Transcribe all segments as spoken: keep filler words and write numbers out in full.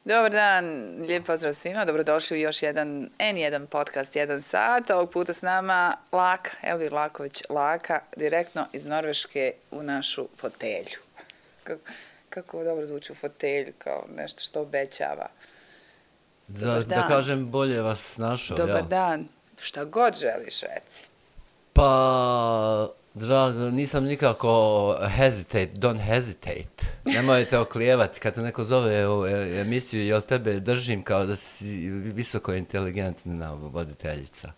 Dobar dan, lijep pozdrav svima, dobrodošli u još jedan en jedan podcast, jedan sat. Ovog puta s nama Laka, Elvir Laković Laka, direktno iz Norveške u našu fotelju. Kako, kako dobro zvuči u fotelju, kao nešto što obećava. Da, da kažem, bolje vas našao. Dobar ja. dan, šta god želiš reci. Pa, drago, nisam nikako hesitate, don't hesitate. Nemojte oklijevati kad te neko zove u emisiju, jel tebe držim kao da si visoko inteligentna voditeljica.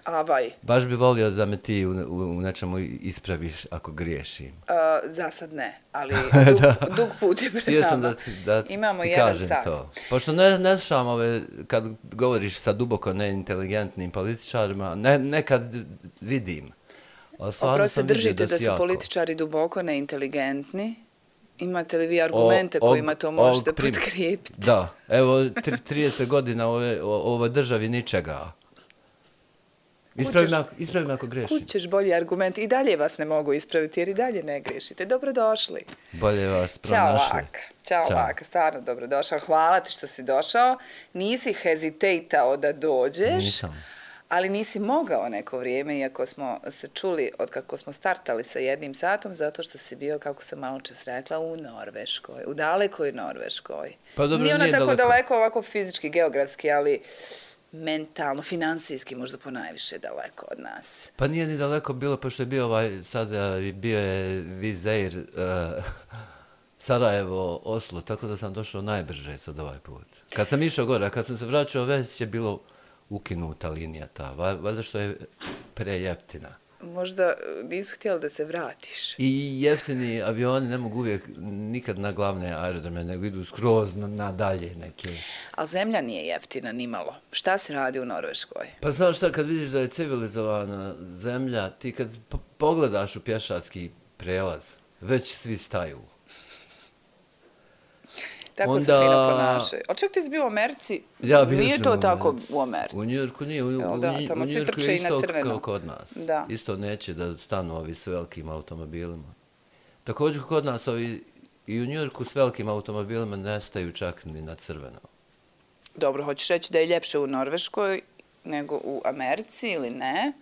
Avaj. Baš bi volio da me ti u, u, u nečemu ispraviš ako griješim. Uh, za sad ne, ali dug, dug put je pred nama. Htio sam da, da Imamo ti jedan kažem sat. to. Pošto ne, ne slušam ove, kad govoriš sa duboko neinteligentnim političarima, ne, nekad vidim. Oprosti, držite da su jako. političari duboko neinteligentni. Imate li vi argumente o, kojima to možete prim... potkrijepiti? Da, evo trideset godina ove, o ovoj državi ničega. Ispravi me, ispravi me ako grešim. Kud ćeš bolji argument? I dalje vas ne mogu ispraviti jer i dalje ne grešite. Dobrodošli. Bolje vas pronašli. Ćao Laka. Ćao, Ćao. Laka, stvarno dobrodošao. Hvala ti što si došao. Nisi hezitejtao da dođeš. Nisam. Ali nisi mogao neko vrijeme, iako smo se čuli od kako smo startali sa jednim satom, zato što si bio, kako sam malo čas rekla, u Norveškoj, u dalekoj Norveškoj. Pa dobro, nije ona nije tako daleko. daleko, ovako fizički, geografski, ali mentalno, finansijski možda ponajviše daleko od nas. Pa nije ni daleko bilo, pošto je bio ovaj, sada bio je Vizeir, uh, Sarajevo, Oslo, tako da sam došao najbrže sad ovaj put. Kad sam išao gore, a kad sam se vraćao, već je bilo ukinuta linija ta, valjda što je prejeftina. Možda nisu htjeli da se vratiš. I jeftini avioni ne mogu uvijek nikad na glavne aerodrome, nego idu skroz na, na dalje neke. Ali zemlja nije jeftina nimalo. Šta se radi u Norveškoj? Pa znaš šta, kad vidiš da je civilizovana zemlja, ti kad pogledaš u pješački prelaz, već svi staju. Tako onda... se fino ponašaju. Ali čak ti si bio u Americi, ja, nije to tako u Americi. U Njujorku nije, u, u, da, tamo u Njujorku je isto kao kod nas. Da. Isto neće da stanu ovi s velikim automobilima. Također kod nas ovi i u Njujorku s velikim automobilima ne staju čak ni na crveno. Dobro, hoćeš reći da je ljepše u Norveškoj nego u Americi ili ne?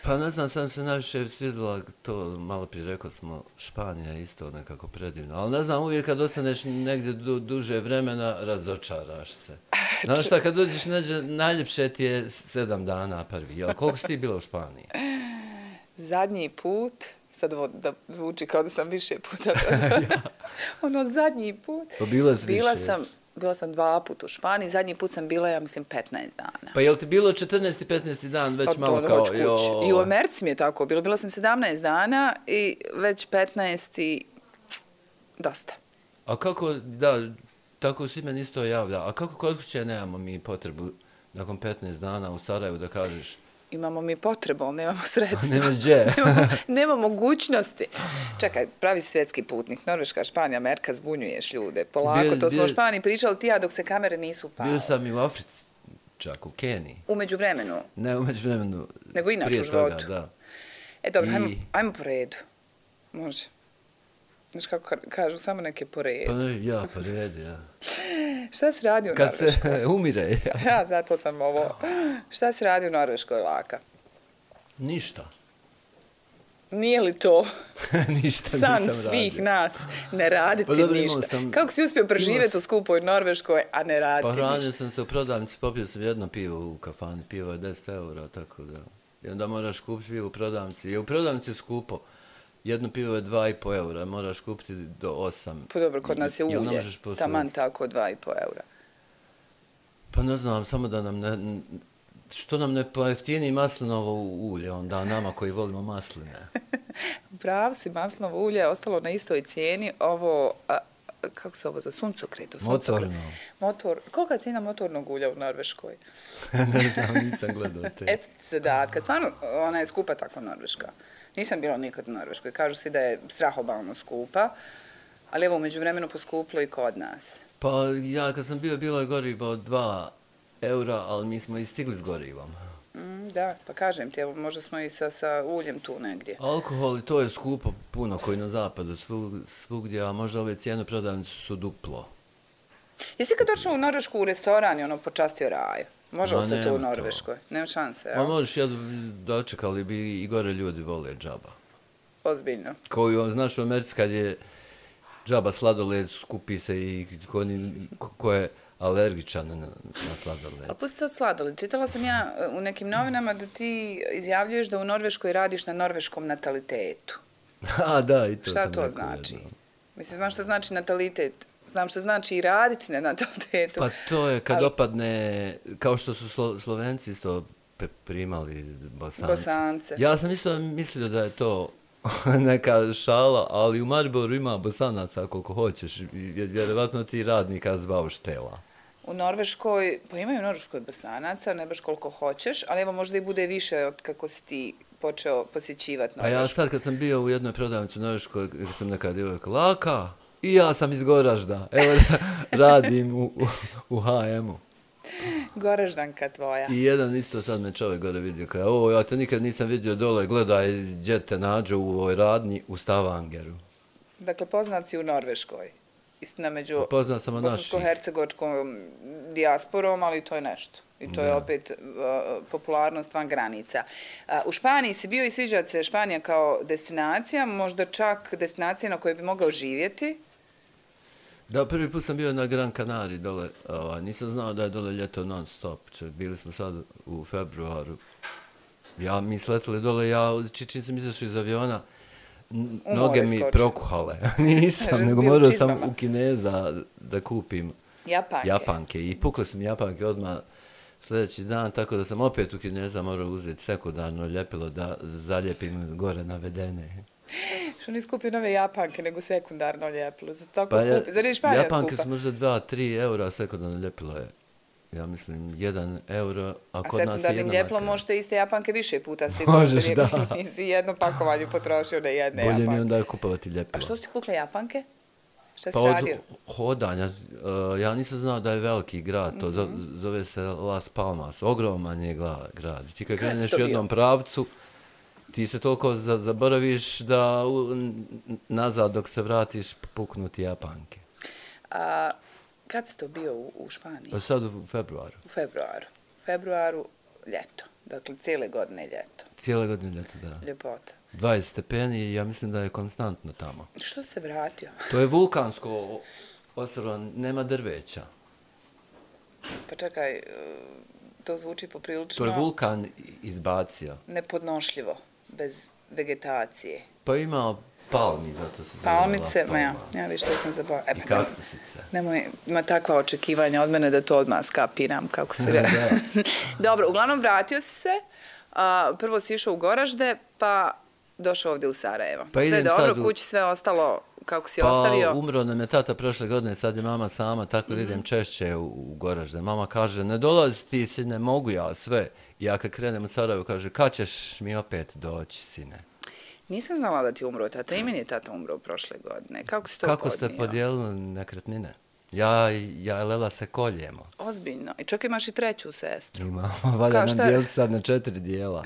Pa ne znam, sam se najviše svidjela to, malo prije rekao smo, Španija je isto nekako predivno. Ali ne znam, uvijek kad ostaneš negdje du, duže vremena, razočaraš se. Znaš šta, kad dođeš neđe, najljepše ti je sedam dana prvi. Jel, koliko si ti bila u Španiji? Zadnji put, sad ovo da zvuči kao da sam više puta. ja. Ono, zadnji put. Pa bila si bila više, sam, Bila sam dva puta u Španiji, zadnji put sam bila, ja mislim, petnaest dana. Pa je li ti bilo četrnaesti petnaesti dan već pa, malo kao... Jo... I u Americi mi je tako bilo. Bila sam sedamnaest dana i već petnaest i dosta. A kako, da, tako svi meni isto javlja. A kako kod kuće nemamo mi potrebu nakon petnaest dana u Sarajevu da kažeš... Imamo mi potrebu, ali nemamo sredstva. Nemaš gdje. nemamo, nema mogućnosti. Čekaj, pravi svjetski putnik, Norveška, Španija, Amerika, zbunjuješ ljude. Polako, bio, to smo bio, u Španiji pričali ti ja dok se kamere nisu upale. Bio sam i u Africi, čak u Keniji. Umeđu vremenu? Ne, umeđu vremenu. Nego inače u životu? Da. E dobro, I... ajmo, ajmo po redu. Može. Znaš kako kažu, samo neke po redu. Pa ne, ja, po redu, ja. Šta se radi u Kad Norveškoj? Kad se umire, ja. Ja, zato sam ovo. Šta se radi u Norveškoj, Laka? Ništa. Nije li to ništa san nisam svih radio. nas, ne raditi pa dobro, ništa? Sam, Kako si uspio preživjeti u skupoj Norveškoj, a ne raditi pa ništa? Pa hranio sam se u prodavnici, popio sam jedno pivo u kafani, pivo je deset eura, tako da. I onda moraš kupiti pivo u prodavnici. I u prodavnici je skupo. Jedno pivo je dva i po eura, moraš kupiti do osam. Pa dobro, kod nas je ulje, taman tako dva i po eura. Pa ne znam, samo da nam ne... Što nam ne pojeftini maslinovo ulje onda nama koji volimo masline? Pravo si, maslinovo ulje je ostalo na istoj cijeni. Ovo, a, kako se ovo za suncokret? Motorno. Motor, kolika je cijena motornog ulja u Norveškoj? ne znam, nisam gledao te. Eto ti zadatka. Stvarno, ona je skupa tako Norveška. Nisam bila nikad u Norveškoj. Kažu si da je strahobalno skupa, ali evo umeđu vremenu poskuplo i kod nas. Pa ja kad sam bio, bilo je gorivo dva eura, ali mi smo i stigli s gorivom. Mm, da, pa kažem ti, evo, možda smo i sa, sa uljem tu negdje. Alkohol i to je skupo puno koji na zapadu svug, svugdje, a možda ove cijene prodavnice su duplo. Jesi kad došao u Norvešku u restoran i ono počastio raju? Može li Ma, se to u nema to. Norveškoj? Nema šanse, Ma evo? možeš, ja dočekali bi i gore ljudi vole džaba. Ozbiljno. Koji, on, znaš, u Americi kad je džaba sladoled, skupi se i ko, ni- ko- ko je alergičan na, na sladoled. Ali pusti sad sladoled. Čitala sam ja e, u nekim novinama da ti izjavljuješ da u Norveškoj radiš na norveškom natalitetu. A, da, i to Šta sam to rekao znači? jednom. Mislim, znam što znači natalitet. Znam što znači i raditi na natalitetu. Pa to je kad Ali- opadne, kao što su Slo, Slovenci isto pe- primali Bosance. Bosance. Ja sam isto mislio da je to neka šala, ali u Mariboru ima Bosanaca koliko hoćeš. i Vjerovatno ti radnika zvao štela. U Norveškoj, pa imaju u Norveškoj Bosanaca, ne baš koliko hoćeš, ali evo možda i bude više od kako si ti počeo posjećivati A ja Norvešku. sad kad sam bio u jednoj prodavnici u Norveškoj, kad sam neka djevojka, Laka, i ja sam iz Goražda, evo radim u, u, u ha emu. Goraždanka tvoja. I jedan isto sad me čovjek gore vidio, kaže, o, ja te nikad nisam vidio dole, gledaj, gdje te nađe u ovoj radnji u Stavangeru. Dakle, poznat si u Norveškoj. Istina među Poznao sam od naših. bosansko-hercegovačkom dijasporom, ali to je nešto. I to je Da. opet uh, popularnost van granica. Uh, u Španiji si bio i sviđa se Španija kao destinacija, možda čak destinacija na kojoj bi mogao živjeti. Da, prvi put sam bio na Gran Canaria dole, ovaj, nisam znao da je dole ljeto non stop, bili smo sad u februaru. Ja, mi sletili dole, ja či- čim sam izašao iz aviona, n- U noge more mi skočio. prokuhale. Nisam, Jer si nego bio u morao sam čizmama. u Kineza da kupim Japanke. japanke. I pukle su mi japanke odmah sljedeći dan, tako da sam opet u Kineza morao uzeti sekundarno ljepilo da zalijepim gore navedene. Što nisi kupio nove japanke, nego sekundarno ljepilo. Zato tako Pa ja- skupi. Zar je Španija japanke skupa? su možda dva, tri eura, a sekundarno ljepilo je, ja mislim, jedan euro, a A kod nas je sekundarnim jedna ljepilom marka. možete iste japanke više puta sigurno. Možeš, jer da. Nisi jedno pakovanje potrošio na jedne Bolje mi japanke. onda kupovati A ljepilo. što su ti pukle japanke? Šta si Pa od radio? hodanja, uh, ja nisam znao da je veliki grad, to zo- zove se Las Palmas, ogroman je gla- grad. Ti kad Kad si kreneš to u bio? jednom pravcu, ti se toliko za, zaboraviš da u, n- nazad dok se vratiš puknu ti japanke. A, kad si to bio u, u Španiji? Pa sad u februaru, U februaru. U februaru ljeto. Dakle, cijele godine ljeto. cijele godine ljeto, da. Ljepota. dvadeset stepeni i ja mislim da je konstantno tamo. Što se vratio? To je vulkansko ostrvo, nema drveća. Pa čekaj, e, to zvuči To poprilično je vulkan izbacio. nepodnošljivo, bez vegetacije. Pa ima palmi, zato se zove Palmice, Las ma ja, Palmas. ja viš što sam zaboravila. E, I pa kaktusice. Nemoj, ima takva očekivanja od mene da to odmah skapiram, kako se re... Da. Dobro, uglavnom vratio si se, a, prvo si išao u Goražde, pa došao ovdje u Sarajevo. Pa sve idem dobro, sad u- kući sve ostalo kako si Pa ostavio. umro nam je tata prošle godine, sad je mama sama, tako da idem češće u, u Goražde. Mama kaže, ne dolazi ti sine, mogu ja sve. I ja kad krenem u Sarajevo, kaže, kad ćeš mi opet doći, sine? Nisam znala da ti je umro tata, i meni je tata umro prošle godine. Kako si to Kako ste podnio? podijelili nekretnine? Ja, i- ja i Lela se koljemo. Ozbiljno. I čak imaš i treću sestru. Imamo, valja Kao nam šta- dijeliti sad na četiri dijela.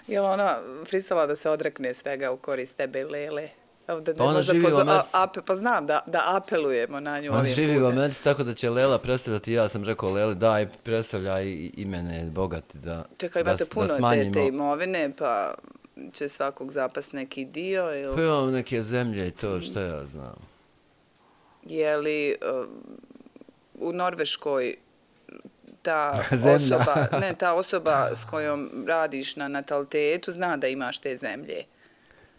Je li ona pristala da se odrekne svega u korist tebe i Lele? Evo da ne Pa ona možda živi u pozo- Americi. a- ape, pa znam da, da apelujemo na nju On ovim živi u putem. Americi, tako da će Lela predstavljati. Ja sam rekao, Leli, daj, predstavljaj i, i mene bogati da, Čekaj, da, imate s- da puno te, smanjimo. te imovine, pa će svakog zapast neki dio, ili... Pa imam neke zemlje i to, što ja znam. Je li uh, u Norveškoj ta Zemlja. osoba, ne, ta osoba s kojom radiš na natalitetu zna da imaš te zemlje?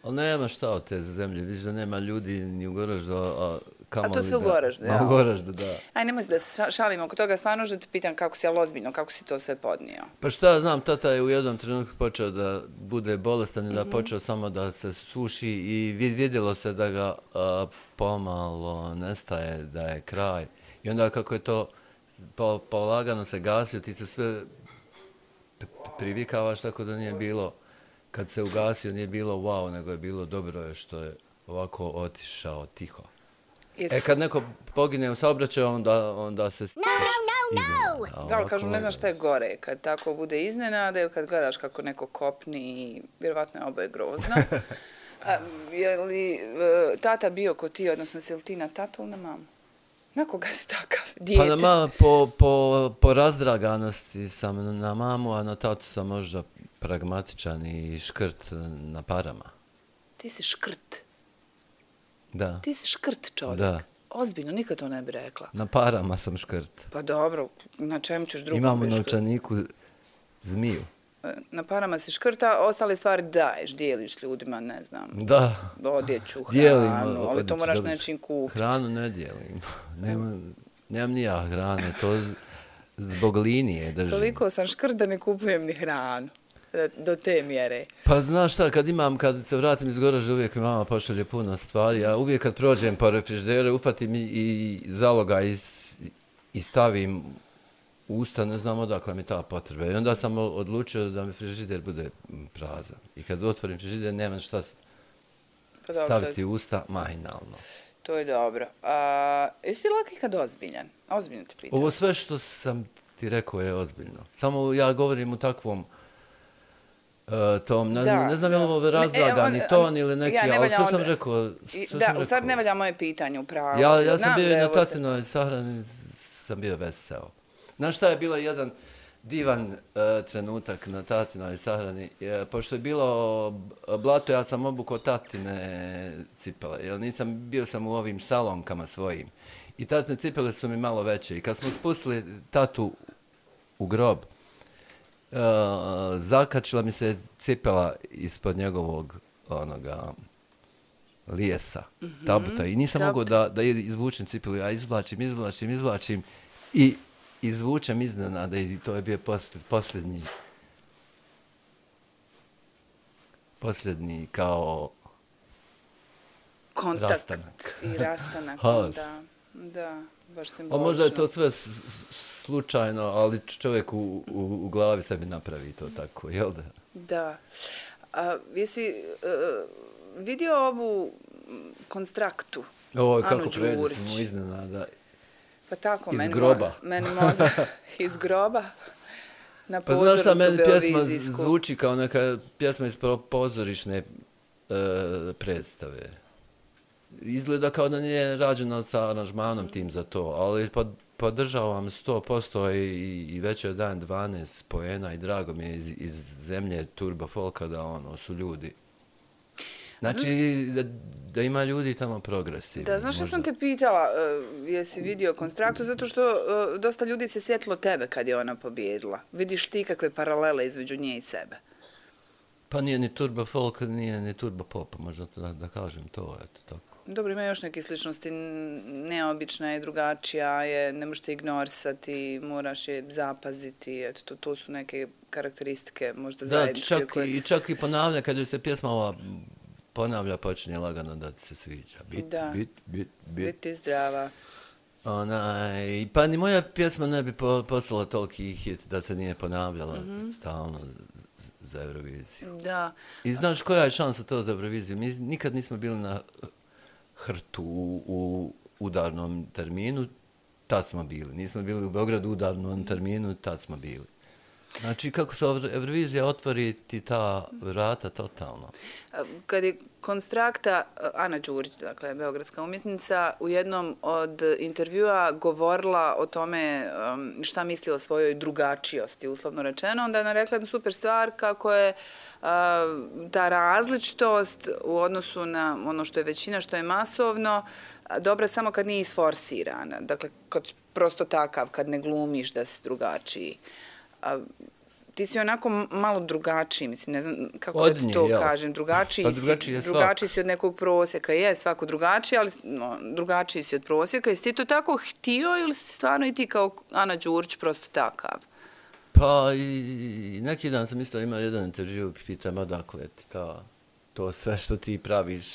Ali nema šta od te zemlje, vidiš da nema ljudi ni u Goraždu, a kamoli A to sve u da- Goraždu, A ja. u Goraždu, da. Aj, nemoj se da se ša- šalimo oko toga, stvarno što te pitam kako si, ali ozbiljno, kako si to sve podnio? Pa šta ja znam, tata je u jednom trenutku počeo da bude bolestan i da Mhm. počeo samo da se suši i vid- vidjelo se da ga a, pomalo nestaje, da je kraj. I onda kako je to po, polagano se gasio, ti se sve p- privikavaš tako da nije bilo, kad se ugasio nije bilo wow, nego je bilo dobro je što je ovako otišao tiho. Jesi- E, kad neko pogine u saobraćaju, onda, onda se... No, no, no, no! Da, ali kažu, ne znam šta je gore, kad tako bude iznenada ili kad gledaš kako neko kopni i vjerovatno je oboje grozno. A, je li e, tata bio ko ti, odnosno si li ti na tatu ili na mamu? Na koga si takav? Pa Dijete? na ma, po, po, po razdraganosti sam na mamu, a na tatu sam možda pragmatičan i škrt na parama. Ti si škrt. Da. Ti si škrt čovjek. Da. Ozbiljno, nikad to ne bi rekla. Na parama sam škrt. Pa dobro, na čemu ćeš drugom Imam u biti škrt? novčaniku zmiju. Na parama si škrta, ostale stvari daješ, dijeliš ljudima, ne znam, Da. odjeću, Dijelim hranu, ali to odjeću, moraš dobro. nečim kupiti. Hranu ne dijelim. Nemam, nemam ni ja hrane, to z- zbog linije držim. Toliko sam škrt da ne kupujem ni hranu. Da- Do te mjere. Pa znaš šta, kad imam, kad se vratim iz Goražda, uvijek mi mama pošalje puno stvari, a uvijek kad prođem po refrižderu, ufatim i, i zaloga i, s- i stavim u usta, ne znam odakle mi ta potreba. I onda sam o- odlučio da mi frižider bude m, prazan. I kad otvorim frižider, nemam šta s- Pa dobro, staviti u usta mahinalno. to je dobro. A, jesi li laki kad ozbiljan? Ozbiljno te pitam. Ovo sve što sam ti rekao je ozbiljno. Samo ja govorim u takvom e, tom, ne, Da, znam, ne znam je li da. ovo Ne, razlagani on- ton ili neki, ja ne ali valja sve sam onda- rekao. I- Sve Da, sam u stvari rekao. ne valja moje pitanje, upravo Ja, si. ja sam Znam bio da i je na ovo se- tatinoj sahrani, sam bio veseo. Znaš šta je bilo jedan divan e, trenutak na tatinoj sahrani? E, pošto je bilo b- blato, ja sam obukao tatine cipele, jer nisam, bio sam u ovim salonkama svojim. I tatine cipele su mi malo veće. I kad smo spustili tatu u grob, e, zakačila mi se cipela ispod njegovog onoga lijesa, tabuta. I nisam Tabuta. mogao da, da izvučem cipelu. Ja izvlačim, izvlačim, izvlačim i izvučem iznenada i to je bio posl- posljednji posljednji kao Kontakt rastanak. i rastanak. Haos. Da, da, baš A simbolično. možda je to sve s- s- slučajno, ali čovjek u, u, u glavi sebi napravi to tako, jel da? Da. A, jesi uh, vidio ovu m, konstraktu? Ovo Anu kako pređe Đurić? smo iznenada. Pa tako, Iz meni, groba. Mo, meni mozak iz groba na Pa znaš šta, pozornicu meni pjesma beovizijsku. zvuči kao neka pjesma iz pro- pozorišne e, predstave. Izgleda kao da nije rađena sa aranžmanom tim za to, ali pod, podržavam sto posto i, i već je dan dvanaest poena i drago mi je iz, iz zemlje turbo folka da ono su ljudi. Znači da, da ima ljudi tamo progresivni. Da, znaš što možda. sam te pitala, uh, jesi vidio konstraktu, zato što uh, dosta ljudi se sjetilo tebe kad je ona pobjedila. Vidiš ti kakve paralele između nje i sebe? Pa nije ni turbo folk, nije ni turbo pop, možda da, da kažem to, eto tako. Dobro, ima još neke sličnosti, n- neobična je, drugačija je, ne možete ignorisati, moraš je zapaziti, eto, to, to su neke karakteristike možda Da, zajedničke. čak, koje- i, čak i ponavlja, kad joj se pjesma ova ponavlja, počinje lagano da ti se sviđa. Bit, Da. bit, bit, bit. Biti zdrava. Onaj, pa ni moja pjesma ne bi po, postala toliki hit da se nije ponavljala Mhm. stalno z- za Euroviziju. Da. I znaš koja je šansa to za Euroviziju? Mi nikad nismo bili na hrtu u, u udarnom terminu, tad smo bili. Nismo bili u Beogradu u udarnom terminu, tad smo bili. Znači, kako se Eurovizija otvori ti ta vrata totalno. Kad je konstrakta, Ana Đurić, dakle, beogradska umjetnica, u jednom od intervjua govorila o tome um, šta misli o svojoj drugačijosti, uslovno rečeno, onda je ona rekla jednu super stvar kako je uh, ta različitost u odnosu na ono što je većina, što je masovno, a, dobra samo kad nije isforsirana. Dakle, kad prosto takav, kad ne glumiš da si drugačiji. A, ti si onako malo drugačiji, mislim, ne znam kako Od da ti nje, to jel? kažem. Drugačiji, Pa si, drugačiji je svak. drugačiji si od nekog prosjeka. Je, svako drugačiji, ali no, drugačiji si od prosjeka. Jesi ti to tako htio ili si stvarno i ti kao Ana Đurić prosto takav? Pa i, i neki dan sam isto imao jedan intervju, pitam odakle ti ta, to sve što ti praviš.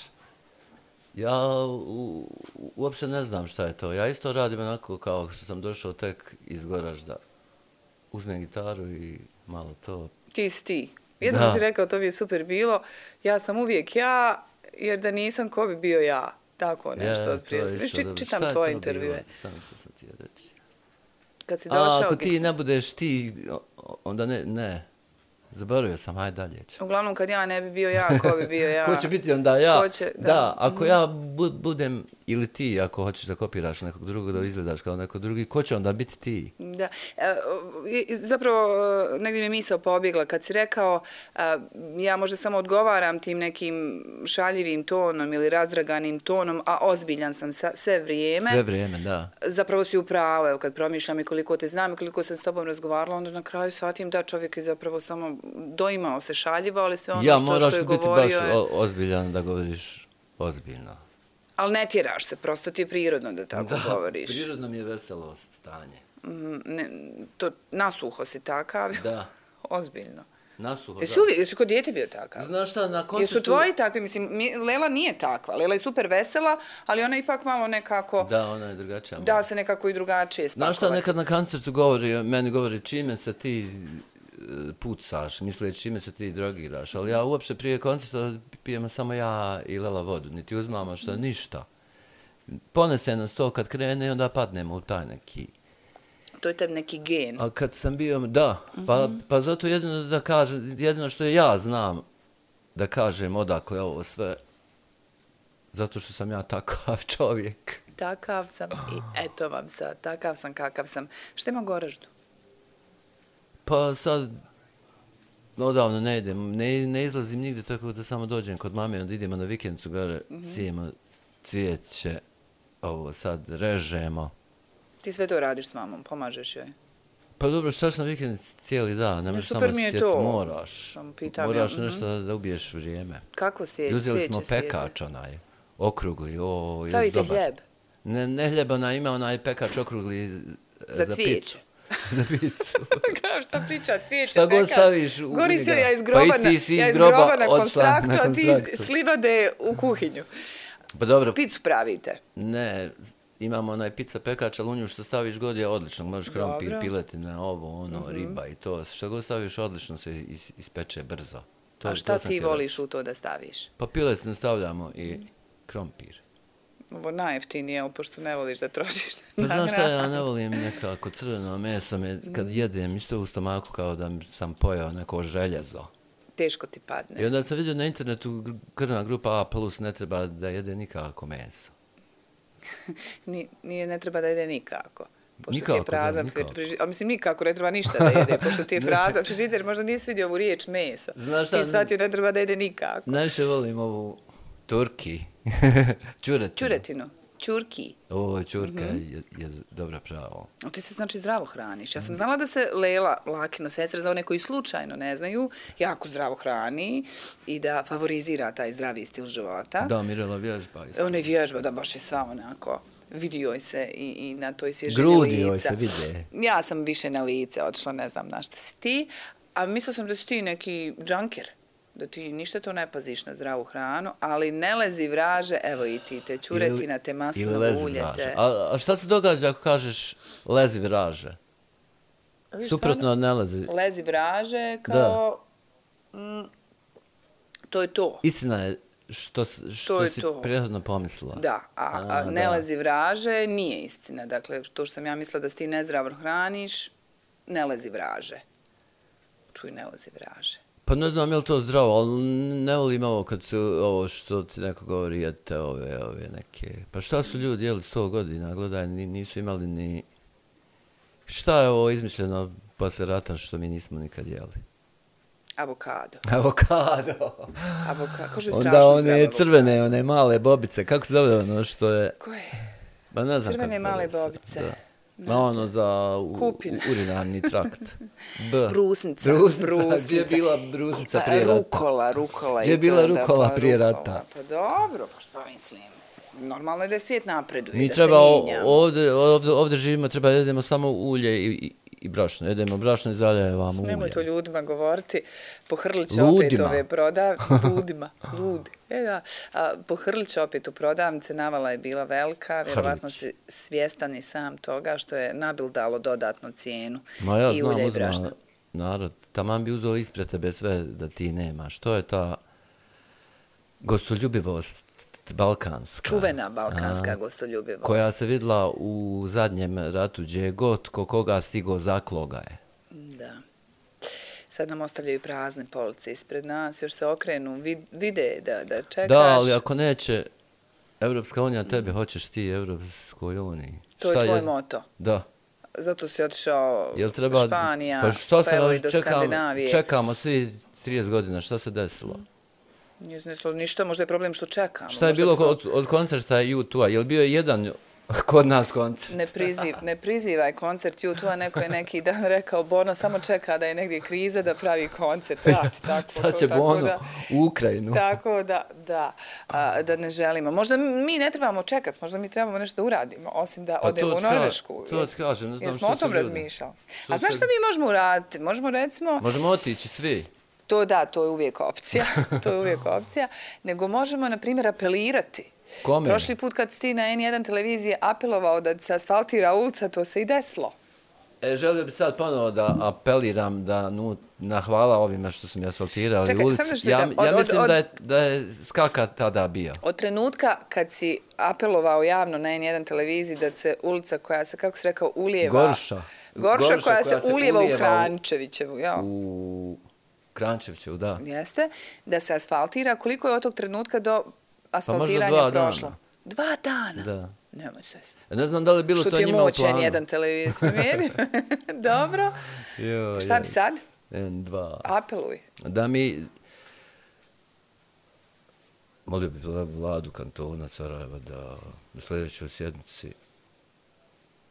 Ja u, uopšte ne znam šta je to. Ja isto radim onako kao što sam došao tek iz Goražda. Uzmem gitaru i malo to. Ti si ti. Jednom Da. si rekao, to bi je super bilo. Ja sam uvijek ja, jer da nisam, ko bi bio ja? Tako nešto Je, od prije. to je isto Či- dobro. Čitam Šta je tvoje to intervjue. bilo? Sam se sam ti reći. Kad si A, došao... ako ti ne budeš ti, o- onda ne, ne. Zaboravio sam, hajde dalje ću. Uglavnom, kad ja ne bi bio ja, ko bi bio ja? Ko će biti onda ja? Ko će, da. da, ako ja bu- budem ili ti, ako hoćeš da kopiraš nekog drugog, da izgledaš kao neko drugi, ko će onda biti ti? Da. E, zapravo, negdje mi je misao pobjegla kad si rekao, a, ja možda samo odgovaram tim nekim šaljivim tonom ili razdraganim tonom, a ozbiljan sam sa, sve vrijeme. Sve vrijeme, da. Zapravo si u pravu, evo kad promišljam i koliko te znam i koliko sam s tobom razgovarala, onda na kraju shvatim da čovjek je zapravo samo doimao se šaljivo, ali sve ono ja, što, što je govorio... Ja, moraš biti baš ozbiljan da govoriš ozbiljno. Ali ne tjeraš se, prosto ti je prirodno da tako da, govoriš. Da, prirodno mi je veselo stanje. Mm, ne, to, nasuho si takav. Da. Ozbiljno. Nasuho, jesi da. Uvijek, jesi kod dijete bio takav? Znaš šta, na koncertu... Jesu tvoji takvi? Mislim, Lela nije takva. Lela je super vesela, ali ona je ipak malo nekako... Da, ona je drugačija. Da se nekako i drugačije spakovati. Znaš šta, nekad na koncertu govori, meni govori čime se ti pucaš, misle čime se ti drogiraš, ali ja uopšte prije koncerta pijemo samo ja i Lela vodu, niti uzmamo šta, ništa. Ponese nas to kad krene i onda padnemo u taj neki... To je tebi neki gen. A kad sam bio, da, pa, pa zato jedino da kažem, jedino što ja znam da kažem odakle ovo sve, zato što sam ja takav čovjek. Takav sam i eto vam sad, takav sam kakav sam. Šta ima Goraždu? Pa sad, odavno ne idem, ne, ne izlazim nigdje, tako da samo dođem kod mame, onda idemo na vikendicu gore, mm-hmm. sijemo cvijeće, ovo sad režemo. Ti sve to radiš s mamom, pomažeš joj? Pa dobro, štaš na vikendici cijeli dan, ne možeš samo sjeti, moraš. Moraš ja, nešto mm-hmm. da ubiješ vrijeme. Kako sjeći? Uzeli smo pekač onaj, okrugli, o, pravite dobar. hljeb? Ne, ne hljeb, ona ima onaj pekač okrugli za, za cvijeće. Za picu. Kao šta priča, cvijeće, šta pekač. God staviš u Gori si ja iz pa groba, na, ja iz groba na konstraktu, na a ti iz slivade u kuhinju. Pa dobro. Picu pravite? Ne, imamo onaj pizza pekač, ali u nju što staviš god je odlično. Možeš krompir, piletina, ovo, ono, mm-hmm. riba i to. Što god staviš odlično se is, ispeče brzo. To, a šta ti voliš u to da staviš? Pa piletinu stavljamo i krompir. Ovo najjeftinije, pošto ne voliš da trošiš na hranu. Znaš šta, ja ne volim nekako crveno meso, me, kad jedem isto u stomaku kao da sam pojao neko željezo. Teško ti padne. I onda sam vidio na internetu krvna grupa A plus ne treba da jede nikako meso. Nije, ne treba da jede nikako. Pošto nikako, ti je prazan, da, nikako. A mislim, nikako ne treba ništa da jede, pošto ti je prazan. Frižider, možda nisi vidio ovu riječ meso. Znaš šta? Ti shvatio ne treba da jede nikako. Najviše volim ovu turki. Čuretinu. Čuretinu. Čurki. Ovo čurka mm-hmm. je, je dobra pravo. O, ti se znači zdravo hraniš. Ja sam znala da se Lela, Lakina sestra, za one koji slučajno ne znaju, jako zdravo hrani i da favorizira taj zdravi stil života. Da, Mirela vježba. Ona je vježba, da baš je sva onako. Vidi joj se i, i na toj svježini lica. Grudi joj se vide. Ja sam više na lice otišla, ne znam na šta si ti. A mislila sam da si ti neki džanker. Da ti ništa to ne paziš na zdravu hranu, ali ne lezi vraže, evo i ti te čuretina, te maslinovo ulje. Te... A, a šta se događa ako kažeš lezi vraže? Viš, suprotno od ne lezi. Lezi vraže kao... Mm, to je to. Istina je što, što to je si to. prethodno pomislila. Da, a, a, a ne da. Lezi vraže nije istina. Dakle, to što sam ja mislila da si ti nezdravo hraniš, ne lezi vraže. Čuj, ne lezi vraže. Pa ne znam je li to zdravo, ali ne volim ovo kad se ovo što ti neko govori, jedite ove, ove neke... Pa šta su ljudi jeli sto godina, gledaj, nisu imali ni... Šta je ovo izmišljeno posle rata što mi nismo nikad jeli? Avokado. Avokado. Avokado, kaže onda strašno one zdravo crvene, avokado. one male bobice, kako se zove ono što je... Koje? Ba ne znam crvene kako male zove bobice. Da. Ma ono za u, urinarni trakt. B. Brusnica. Brusnica. Brusnica. Gdje je bila brusnica prije rata? Rukola, rukola. Gdje je bila rukola pa, prije rukola. rata? Pa dobro, pa što mislim. Normalno je da svijet napreduje, Mi da treba se mijenjamo. Ovdje, ovdje, ovdje živimo, treba da jedemo samo ulje i, i, i brašno. Jedemo brašno i zaljevamo ulje. Nemoj to ljudima govoriti. Pohrlit će Ludima. opet ove prodavnice. Ludima. Ludi. E da. A, pohrlit će opet u prodavnice. Navala je bila velika. Vjerovatno si svjestan i sam toga što je nabildalo dodatno cijenu. Ma ja i znam, ulja i uzma brašna. narod. Taman bi uzeo ispred tebe sve da ti nemaš. To je ta gostoljubivost balkanska. Čuvena balkanska a, gostoljubivost. Koja se vidla u zadnjem ratu gdje god ko koga stigo zakloga je. Da. Sad nam ostavljaju prazne police ispred nas, još se okrenu, vide da, da čekaš. Da, ali ako neće, Evropska unija tebe, hoćeš ti Evropskoj uniji. To je Šta tvoj moto. Da. Zato si otišao Jel treba, Španija, pa, šta pa se evo naš- i do čekamo, Skandinavije. čekamo svi trideset godina, šta se desilo? Nije se desilo ništa, možda je problem što čekamo. Šta je možda bilo bismo- od, od koncerta U dva? Jel bio je jedan kod nas koncert? Ne, priziv, ne prizivaj koncert U dva, neko je neki dan rekao Bono samo čeka da je negdje kriza da pravi koncert. Vrati, tako, Sad to, će tako Bono da, u Ukrajinu. tako da, da, a, da ne želimo. Možda mi ne trebamo čekati, možda mi trebamo nešto da uradimo, osim da Pa odemo to u ti ka- Norvešku. to ti kažem, ne znam Jesmo što o tom su ljudi. razmišljali. Što A znaš se- šta mi možemo uraditi? Možemo recimo... Možemo otići svi. To da, to je uvijek opcija, to je uvijek opcija, nego možemo, na primjer, apelirati. Kome? Prošli put kad si ti na en jedan televiziji apelovao da se asfaltira ulica, to se i desilo. E, želio bi sad ponovo da apeliram da nu, na hvala ovima što su mi asfaltirali Čekaj, ulicu. samo nešto Ja, pitam, od- ja od- mislim od- da, je, da je skaka tada bio. Od trenutka kad si apelovao javno na en jedan televiziji da se ulica koja se, kako si rekao, ulijeva... Gorša. Gorša, Gorša koja, koja se se ulijeva u ulijeva u- Krančevićevu, ja. U Krančevićevu, da. Jeste, da se asfaltira. Koliko je od tog trenutka do asfaltiranja dva prošlo? dana. Dva dana? Da. Nemoj sest. Ne znam da li je bilo Što to ti je njima u moć planu. en jedan televiziji smijeni? Dobro. Jo, Šta bi jes. sad? en dva. Apeluj. Da mi... Molio bi vla- vladu kantona Sarajeva da na sljedećoj sjednici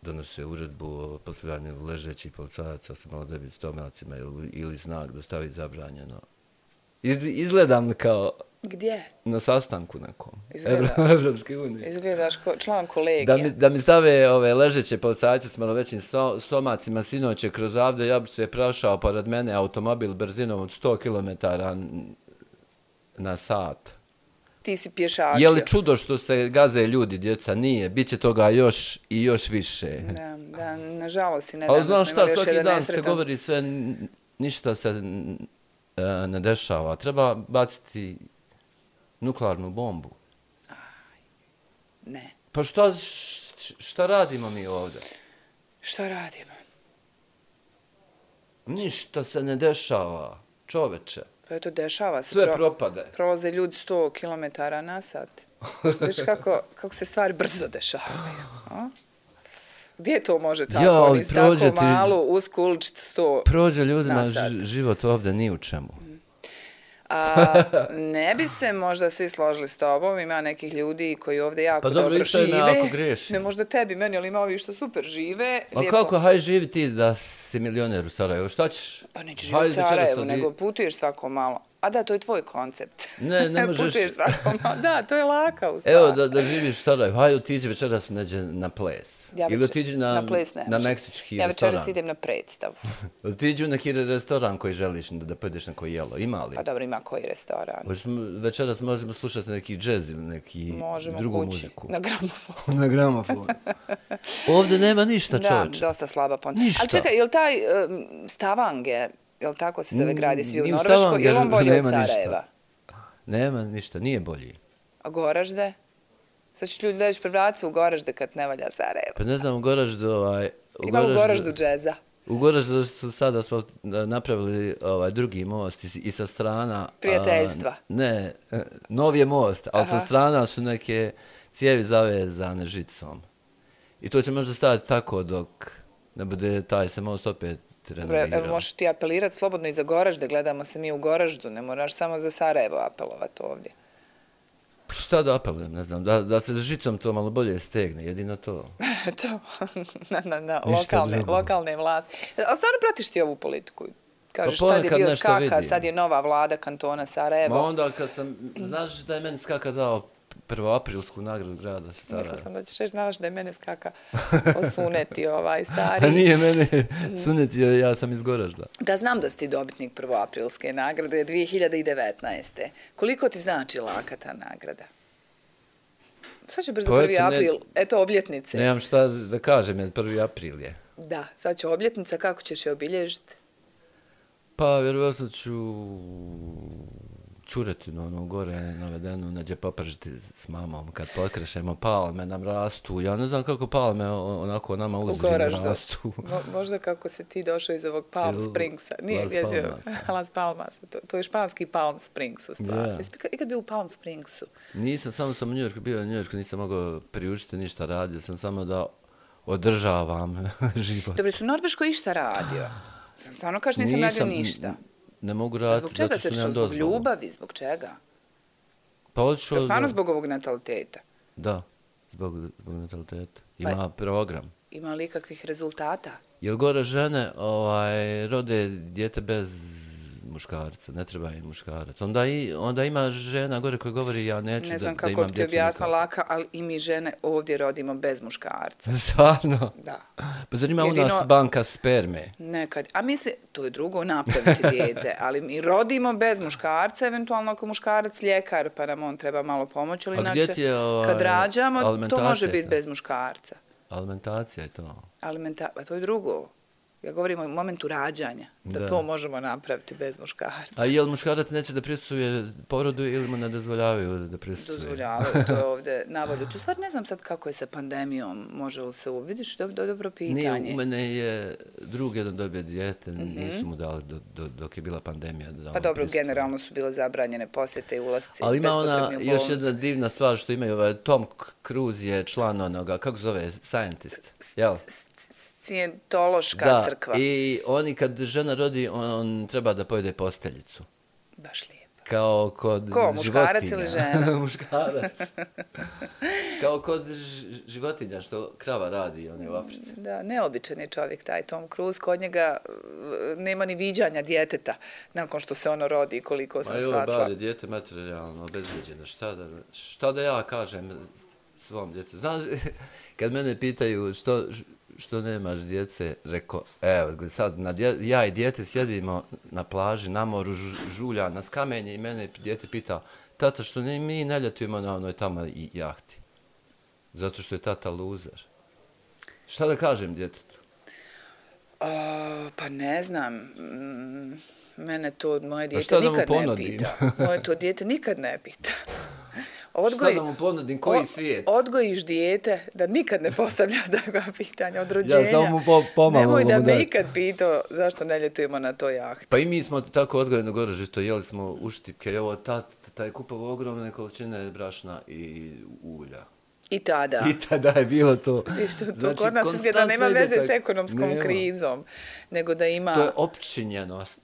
donose uredbu o postavljanju ležećih policajaca sa malodebnim stomacima ili, ili znak da stavi zabranjeno. Iz, izgledam kao Gdje? na sastanku nekom. Izgleda. Evro- Evropske unije. Izgledaš ko član kolegija. Da mi, da mi stave ove ležeće policajce s malo većim sto, stomacima sinoće kroz avde, ja bi se prašao pored mene automobil brzinom od sto kilometara na sat. Ti si pješačio. Je li čudo što se gaze ljudi, djeca? Nije. Biće toga još i još više. Da, da, nažalost si Ali nedavno znaš smo šta, imali još svaki jedan dan se nesretan- govori sve, n- ništa se n- e, ne dešava. Treba baciti nuklearnu bombu. Ne. Pa šta, š- šta radimo mi ovdje? Šta radimo? Ništa se ne dešava, čoveče. Pa eto, dešava se. Sve Pro- propade. Prolaze ljudi sto kilometara na sat. Viš kako, kako se stvari brzo dešavaju. A? Gdje to može tako? Ja, ali Niz prođe tako ti- malu, usku uličicu sto... Prođe ljudima Na sat. ž- život ovdje ni u čemu. A, ne bi se možda svi složili s tobom, ima nekih ljudi koji ovdje jako Pa dobro, dobro ispravim me žive. ako grešim. Ne možda tebi, meni, ali ima ovi što super žive. A lijepo- kako, haj živi ti da si milioner u Sarajevu, šta ćeš? Pa nećeš Hajde živjeti u večeras Sarajevu, odi- nego putuješ svako malo. A da, to je tvoj koncept. Ne, ne možeš- Putuješ svako malo. Da, to je laka u stvari. Evo da, da živiš u Sarajevu, hajde otiđi večeras neđe na ples. Ja Ili večer- otiđi na, na ples ne na može. meksički Ja restoran. večeras idem na predstavu. Otiđi u neki restoran koji želiš da, da pojedeš na koji jelo. Ima li? Pa dobro, ima koji restoran. Hoćemo, večeras možemo slušati neki džez ili neki Možemo drugu kući, muziku. na gramofon. Na gramofon. Ovdje nema ništa, Da, čovječe. dosta slaba pon. Ništa. Ali čekaj, je li taj um, Stavanger, je li tako se zove gradi svi u Ni u Norveškoj, je li Stavangeru on bolji od nema ništa. Sarajeva? Nema ništa, nije bolji. A Goražde? Sad ću ljudi doći prebrat se u Goražde kad ne valja Sarajevo. Pa ne znam, u Goraždu, ovaj... Ima u Goraždu džeza. U Goraždu su sada asfalt- napravili ovaj drugi most i, s- i sa strana... a, Prijateljstva. ne, e, nov je most, ali Aha. sa strana su neke cijevi zavezane žicom. I to će možda staviti tako dok ne bude taj se most opet Dobro, evo renovirao. možeš ti apelirati slobodno i za Goražde, gledamo se mi u Goraždu, ne moraš samo za Sarajevo apelovati ovdje. Šta da apelujem, ne znam, da, da se žicom to malo bolje stegne, jedino to. To, na, na, na Ništa lokalne, drugo. lokalne vlasti. Ali stvarno pratiš ti ovu politiku? Kažeš, Pa tad je ponekad bio nešto skaka, vidim. sad je nova vlada kantona Sarajevo. Ma onda kad sam, znaš da je meni skaka dao prvoaprilsku nagradu grada sa Mislila Sarajeva. sam da ćeš reći, znaš da je mene skaka osuneti ovaj stari. A nije mene suneti, jer ja sam iz Goražda. Da, znam da si ti dobitnik prvoaprilske nagrade dvije hiljade devetnaeste. Koliko ti znači laka ta nagrada? Sad će brzo Pa prvi eto, ne- april, eto obljetnice. Nemam šta da kažem, jer prvi april je. Da, sad će obljetnica, kako ćeš je obilježiti? Pa vjerovatno ću čuretinu, ono gore navedenu, neđe popržiti s mamom. Kad pokrešemo palme, nam rastu. Ja ne znam kako palme onako nama uzdužno rastu. Mo, možda kako se ti došao iz ovog Palm Springsa. Nije, Las jezio, Palmasa. Las Palmasa. To, to je španski Palm Springs u stvari. Da. Jesi ikad bio u Palm Springsu? Nisam, samo sam u Njujorku bio, u Njujorku nisam mogao priuštiti ništa radio, sam samo da održavam život. Dobro, su Norveško išta radio? Sam stvarno kaš nisam, nisam radio ništa. Ne mogu raditi, zbog čega se zato što zbog ljubavi, zbog čega? Pa odšao... Da stvarno da, zbog ovog nataliteta? Da, zbog, zbog nataliteta. Ima pa, program. Ima li kakvih rezultata? Jel gore žene ovaj, rode dijete bez muškarca, ne treba im muškarac. Onda, i, onda ima žena gore koja govori ja neću da, da imam djecu. Ne znam kako bi ti objasnila Laka, ali i mi žene ovdje rodimo bez muškarca. Stvarno? Da. Pa zar ima Jedino, u nas banka sperme? Nekad. A misli, to je drugo napraviti dijete, ali mi rodimo bez muškarca, eventualno ako muškarac ljekar, pa nam on treba malo pomoći, ali inače, je, ovaj, kad rađamo, to može biti bez muškarca. Alimentacija je to. Alimenta, pa to je drugo. Ja govorim o momentu rađanja, da, da to možemo napraviti bez muškarca. A je li muškarac neće da prisustvuje porodu ili mu ne dozvoljavaju da prisustvuje? Dozvoljavaju, to je ovdje navolju. Tu stvar ne znam sad kako je sa pandemijom, može li se uvidiš, do, do, dobro pitanje. Nije, u mene je drug jedan dobio dijete, mm-hmm. nisu mu dali do, do, dok je bila pandemija. Da pa dobro, generalno su bile zabranjene posjete i ulasci. Ali ima ona još jedna divna stvar što imaju, ovaj, Tom Cruise je član onoga, kako zove, scientist, jel? Scijentološka da, crkva. I oni kad žena rodi, on, on treba da pojede posteljicu. Baš lijepo. Kao kod Ko, muškarac životinja. ili žena? Muškarac. Kao kod životinja što krava radi, on je u Africi. Da, neobičan je čovjek taj Tom Cruise, kod njega nema ni viđanja djeteta nakon što se ono rodi, koliko sam shvatila. Ma jo, bar je djete materijalno obezbeđeno. Šta da, šta da ja kažem svom djetetu? Znaš, kad mene pitaju što... što nemaš djece, rekao, evo, sad na dje, ja i djete sjedimo na plaži, na moru, žulja, na skamenje i mene djete pita, tata, što ne, mi ne ljetujemo na onoj tamo i jahti? Zato što je tata luzer. Šta da kažem djetetu? O, pa ne znam, mene to moje djete nikad ne pita. Moje to djete nikad ne pita. Odgoj, šta da mu ponudim, koji svijet? Odgojiš dijete da nikad ne postavlja takva pitanja od rođenja. Ja samo mu po, pomalo. Nemoj da me ikad pitao zašto ne ljetujemo na toj jahti. Pa i mi smo tako odgojeno gore isto jeli smo uštipke. Evo, ta, taj kupovao ogromne količine brašna i ulja. I tada. I tada je bilo to. I što to znači, kod nas izgleda nema veze tak... s ekonomskom nema. krizom, nego da ima... To je opčinjenost.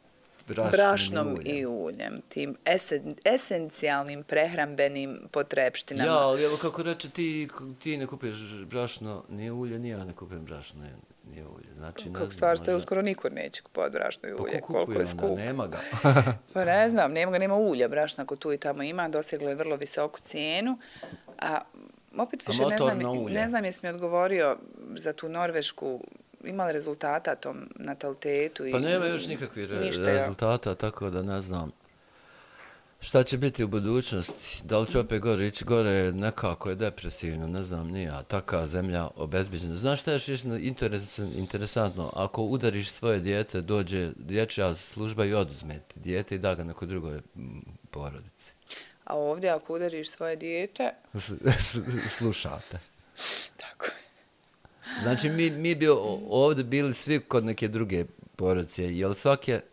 Brašnom, brašnom i uljem, i uljem tim esen, esencijalnim prehrambenim potrepštinama. Ja, ali evo kako reče, ti, ti ne kupiš brašno, nije ulje, nije ja ne kupim brašno, nije ulje. Znači, kako stvar što je uskoro niko neće kupovati brašno i ulje, pa koliko je skupo. Nema ga. Pa ne znam, nema ga, nema ulja, brašna ko tu i tamo ima, doseglo je vrlo visoku cijenu. A opet više a ne znam, ne znam jesi mi odgovorio za tu Norvešku, imali rezultata tom natalitetu? Pa nema još nikakvih re rezultata, ja. Tako da ne znam šta će biti u budućnosti. Da li će opet gore ići gore, nekako je depresivno, ne znam, nije, a taka zemlja obezbeđena. Znaš šta je još interesantno? Ako udariš svoje dijete, dođe dječja služba i oduzme dijete i da ga nekoj drugoj porodici. A ovdje ako udariš svoje dijete? Slušate. Tako je. Znači, mi, mi bi ovdje bili svi kod neke druge porodice, jer svaki je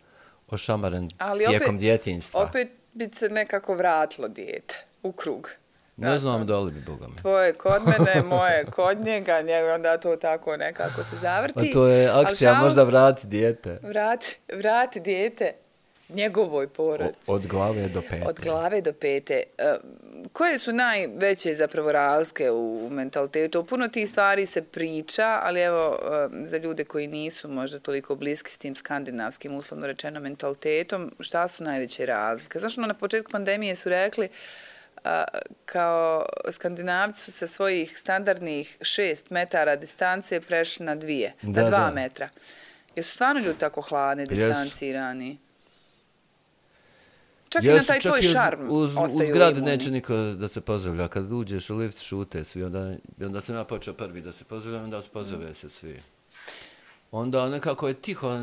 ošamaren ali tijekom opet, djetinjstva. Opet bi se nekako vratilo dijete u krug. Ne dakle, znam da li bi, Boga me. Tvoje kod mene, moje kod njega, njega onda to tako nekako se zavrti. A to je akcija, šal, možda vrati dijete. Vrati, vrati dijete njegovoj porodici. Od glave do pete. Od glave do pete. Koje su najveće zapravo razlike u mentalitetu? O puno tih stvari se priča, ali evo za ljude koji nisu možda toliko bliski s tim skandinavskim, uslovno rečeno, mentalitetom, šta su najveće razlike? Znaš, ono, na početku pandemije su rekli kao Skandinavci su sa svojih standardnih šest metara distance prešli na dvije, da, na dva da. metra. Jesu stvarno ljudi tako hladni, distancirani? Čak yes, i na taj tvoj šarm uz, ostaju u zgradi neće niko da se pozdravlja. Kad uđeš u lift, šute svi. Onda, onda sam ja počeo prvi da se pozdravljam, onda se pozdrave se svi. Onda nekako je tiho,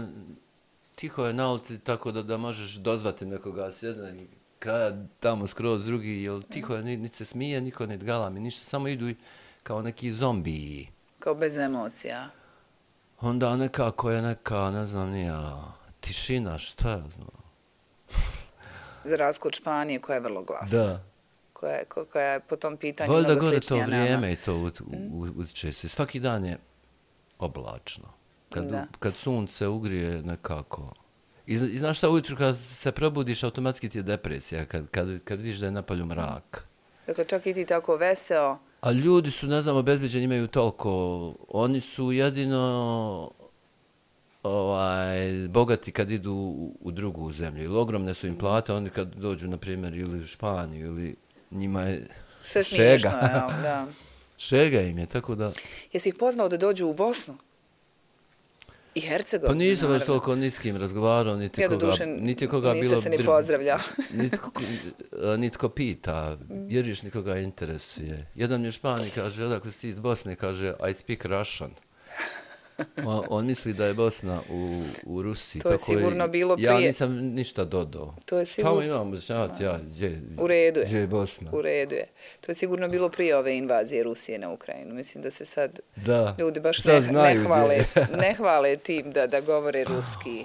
tiho je na ulici tako da, da možeš dozvati nekoga sjedna i kraja tamo skroz drugi, jel tiho je, niti se smije, niko ne galami, ništa, samo idu i kao neki zombiji. Kao bez emocija. Onda nekako je neka, ne znam nija, tišina, šta ja znam. Za razliku od Španije koja je vrlo glasna. Da. Koja je, ko- koja je po tom pitanju Valjda mnogo gore to sličnija nama. vrijeme i to ut- u- utječe se. Svaki dan je oblačno. Kad, Da. kad sunce ugrije nekako. I, I znaš šta, ujutru kad se probudiš, automatski ti je depresija, kad, kad, kad vidiš da je napolju mrak. Dakle, čak i ti tako veseo. A ljudi su, ne znam, obezbeđeni, imaju toliko. Oni su jedino ovaj, bogati kad idu u, u drugu zemlju. Ili ogromne su im plate, oni kad dođu, na primjer, ili u Španiju, ili njima je Sve šega. smiješno, jel? Da. Šega im je, tako da... Jesi ih pozvao da dođu u Bosnu? I Hercegovinu, Pa nisam baš naravno. toliko ni s kim razgovarao, niti Ja do koga, duše niti koga niste bilo... se ni br- pozdravljao. Nitko, nitko pita, vjeriš nikoga interesuje. Jedan mi je Špani kaže, odakle si ti iz Bosne, kaže, I speak Russian. On, on misli da je Bosna u, u Rusiji. To je tako sigurno bilo Ja prije. nisam ništa dodao. To je Tamo sigurno... imam objašnjavati ja, gdje, U redu je. gdje je Bosna. U redu je. To je sigurno bilo prije ove invazije Rusije na Ukrajinu. Mislim da se sad Da. ljudi baš Sad ne, ne, znaju gdje hvale, je. ne hvale tim da, da govore ruski.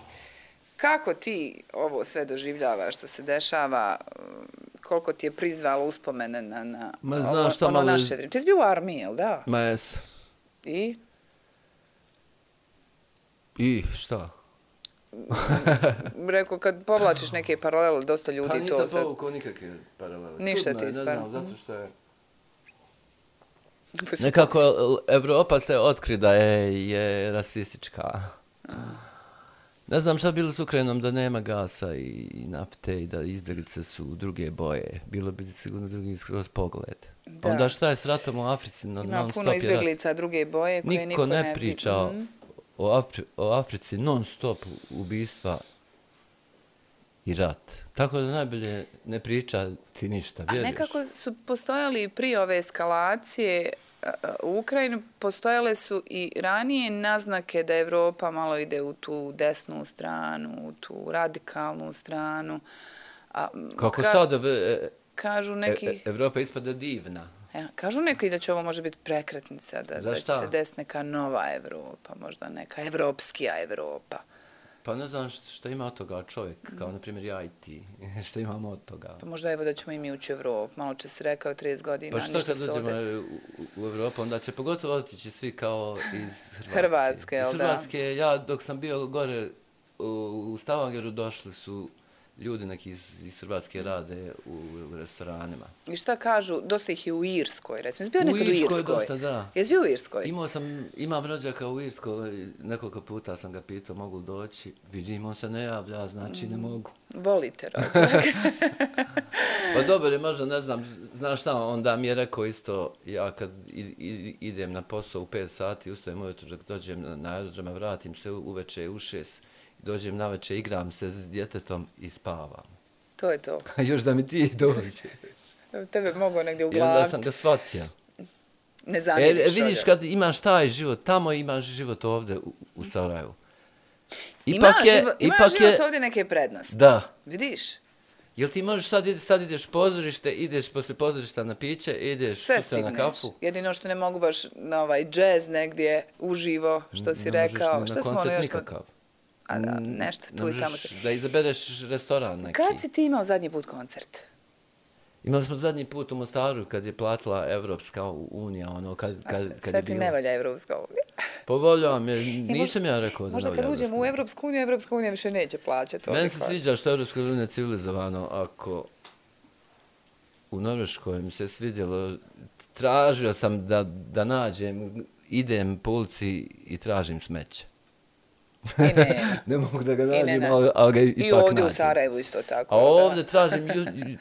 Kako ti ovo sve doživljavaš što se dešava? Koliko ti je prizvalo uspomene na, na Ma, ovo- znaš šta, ono malo- naše vrijeme? Ti si bio u armiji, jel da? Ma jes. I? I šta? Rekao, kad povlačiš neke paralele, dosta ljudi Pa to nisam sad... povukao nikakve paralele. Ništa Čudno ti je, ne ispravno. znam, zato što je... Nekako Evropa se otkri da je, je rasistička. Ne znam šta bilo s Ukrajinom da nema gasa i nafte i da izbjeglice su druge boje. Bilo bi sigurno drugi skroz pogled. Da. Onda šta je s ratom u Africi? Non, Ima non puno stop je rat. izbjeglica druge boje koje Niko niko ne ne priča Mhm. o, Afri, o Africi non stop ubistva i rat. Tako da najbolje ne priča ti ništa, A vjeriš? nekako su postojali prije ove eskalacije a, a, u Ukrajini, postojale su i ranije naznake da Evropa malo ide u tu desnu stranu, u tu radikalnu stranu. A, m, Kako ka- sad e, Kažu e, neki... e, Evropa ispada divna. Ja, kažu neki da će ovo može biti prekretnica, da, Za da će šta? se desiti neka nova Evropa, možda neka evropskija Evropa. Pa ne znam šta, šta ima od toga čovjek, kao na primjer ja i ti. Šta imamo od toga? Pa možda evo da ćemo i mi ući u Evropu. Malo će se rekao trideset godina, Pa što ništa kad se dođemo ovdje... u, u, u Evropu, onda će pogotovo otići svi kao iz Hrvatske. Hrvatske, jel iz da? Hrvatske, ja dok sam bio gore u, u Stavangeru došli su ljudi neki iz, iz Hrvatske rade u, u restoranima. I šta kažu, dosta ih je u Irskoj, recimo. Jesi bio U nekad u Irskoj Irskoj? dosta, da. Jesi bio u Irskoj? Imao sam, imam rođaka u Irskoj, nekoliko puta sam ga pitao mogu li doći, vidim on se ne javlja, znači ne mogu. Volite rođak. Pa dobro je, možda ne znam, znaš samo, onda mi je rekao isto, ja kad i, i, idem na posao u pet sati, ustajem ujutro, dok dođem na, na aerodrome, vratim se u, uveče u šest, dođem na večer, igram se s djetetom i spavam. To je to. A još da mi ti dođe. Tebe mogu negdje I onda uglaviti. sam ga shvatio. Ne E, zamjeriš vidiš rođak. kad imaš taj život, tamo imaš život ovdje u, u Sarajevu. Ima život, ima život ovdje neke prednosti. Da. Vidiš? Jel ti možeš sad, ide, sad ideš u pozorište, ideš posle pozorišta na piće, ideš Sve sutra na stigneš. kafu. Jedino što ne mogu baš na ovaj džez negdje uživo, što si Ne možeš rekao. ni Šta na smo ono koncert još... nikakav. A da, Mm, nešto ne tu i tamo možeš se... da izabereš restoran neki. Kad si ti imao zadnji put koncert? Imali smo zadnji put u Mostaru kad je platila Evropska unija, ono, kad, A kad, sve- kad sve je ti bilo. ne valja Evropska unija. Povoljam je, nisam ja rekao da Možda ne kad valja uđemo u Evropska Evropsku uniju, Evropska unija više neće plaćati. unija. ovaj Meni se koncert. sviđa što je Evropska unija civilizovano, ako u Norveškoj mi se svidjelo, tražio sam da, da nađem, idem po ulici i tražim smeće. I nema. Ne mogu da ga I ne, nađem, ne. ali, ali ga I ipak ovdje u nađem. Sarajevu isto tako. A da. ovdje tražim,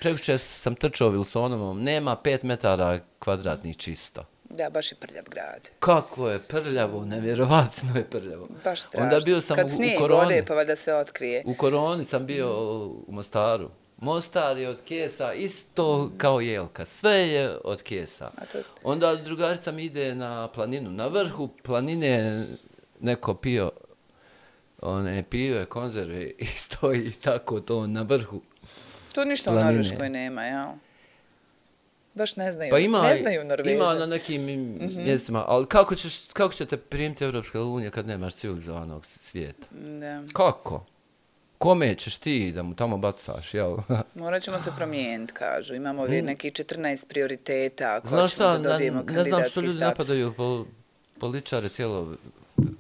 prekuće sam trčao Wilsonovom, nema pet metara kvadratnih čisto. Da, baš je prljav grad. Kako je prljavo, nevjerovatno je prljavo. Baš strašno. Onda bio sam Kad u, u snijeg koroni. ode, pa valjda se otkrije. U koroni sam bio u Mostaru. Mostar je od kesa isto kao jelka. Sve je od kesa. A to- Onda drugarica mi ide na planinu. Na vrhu planine neko pio one pive, konzerve i stoji tako to na vrhu. To ništa planine. u Norveškoj nema, jel? Baš ne znaju, Pa ima, ne znaju Norveže. ima na nekim mm-hmm. mjestima, ali kako, ćeš, kako će te primiti Evropska unija kad nemaš civilizovanog svijeta? Da. Kako? Kome ćeš ti da mu tamo bacaš, jel? Morat ćemo se promijeniti, kažu. Imamo ovdje neki četrnaest prioriteta ako Znaš ćemo šta, da dobijemo ne, ne znam što kandidatski ljudi status. napadaju pol, političare cijelo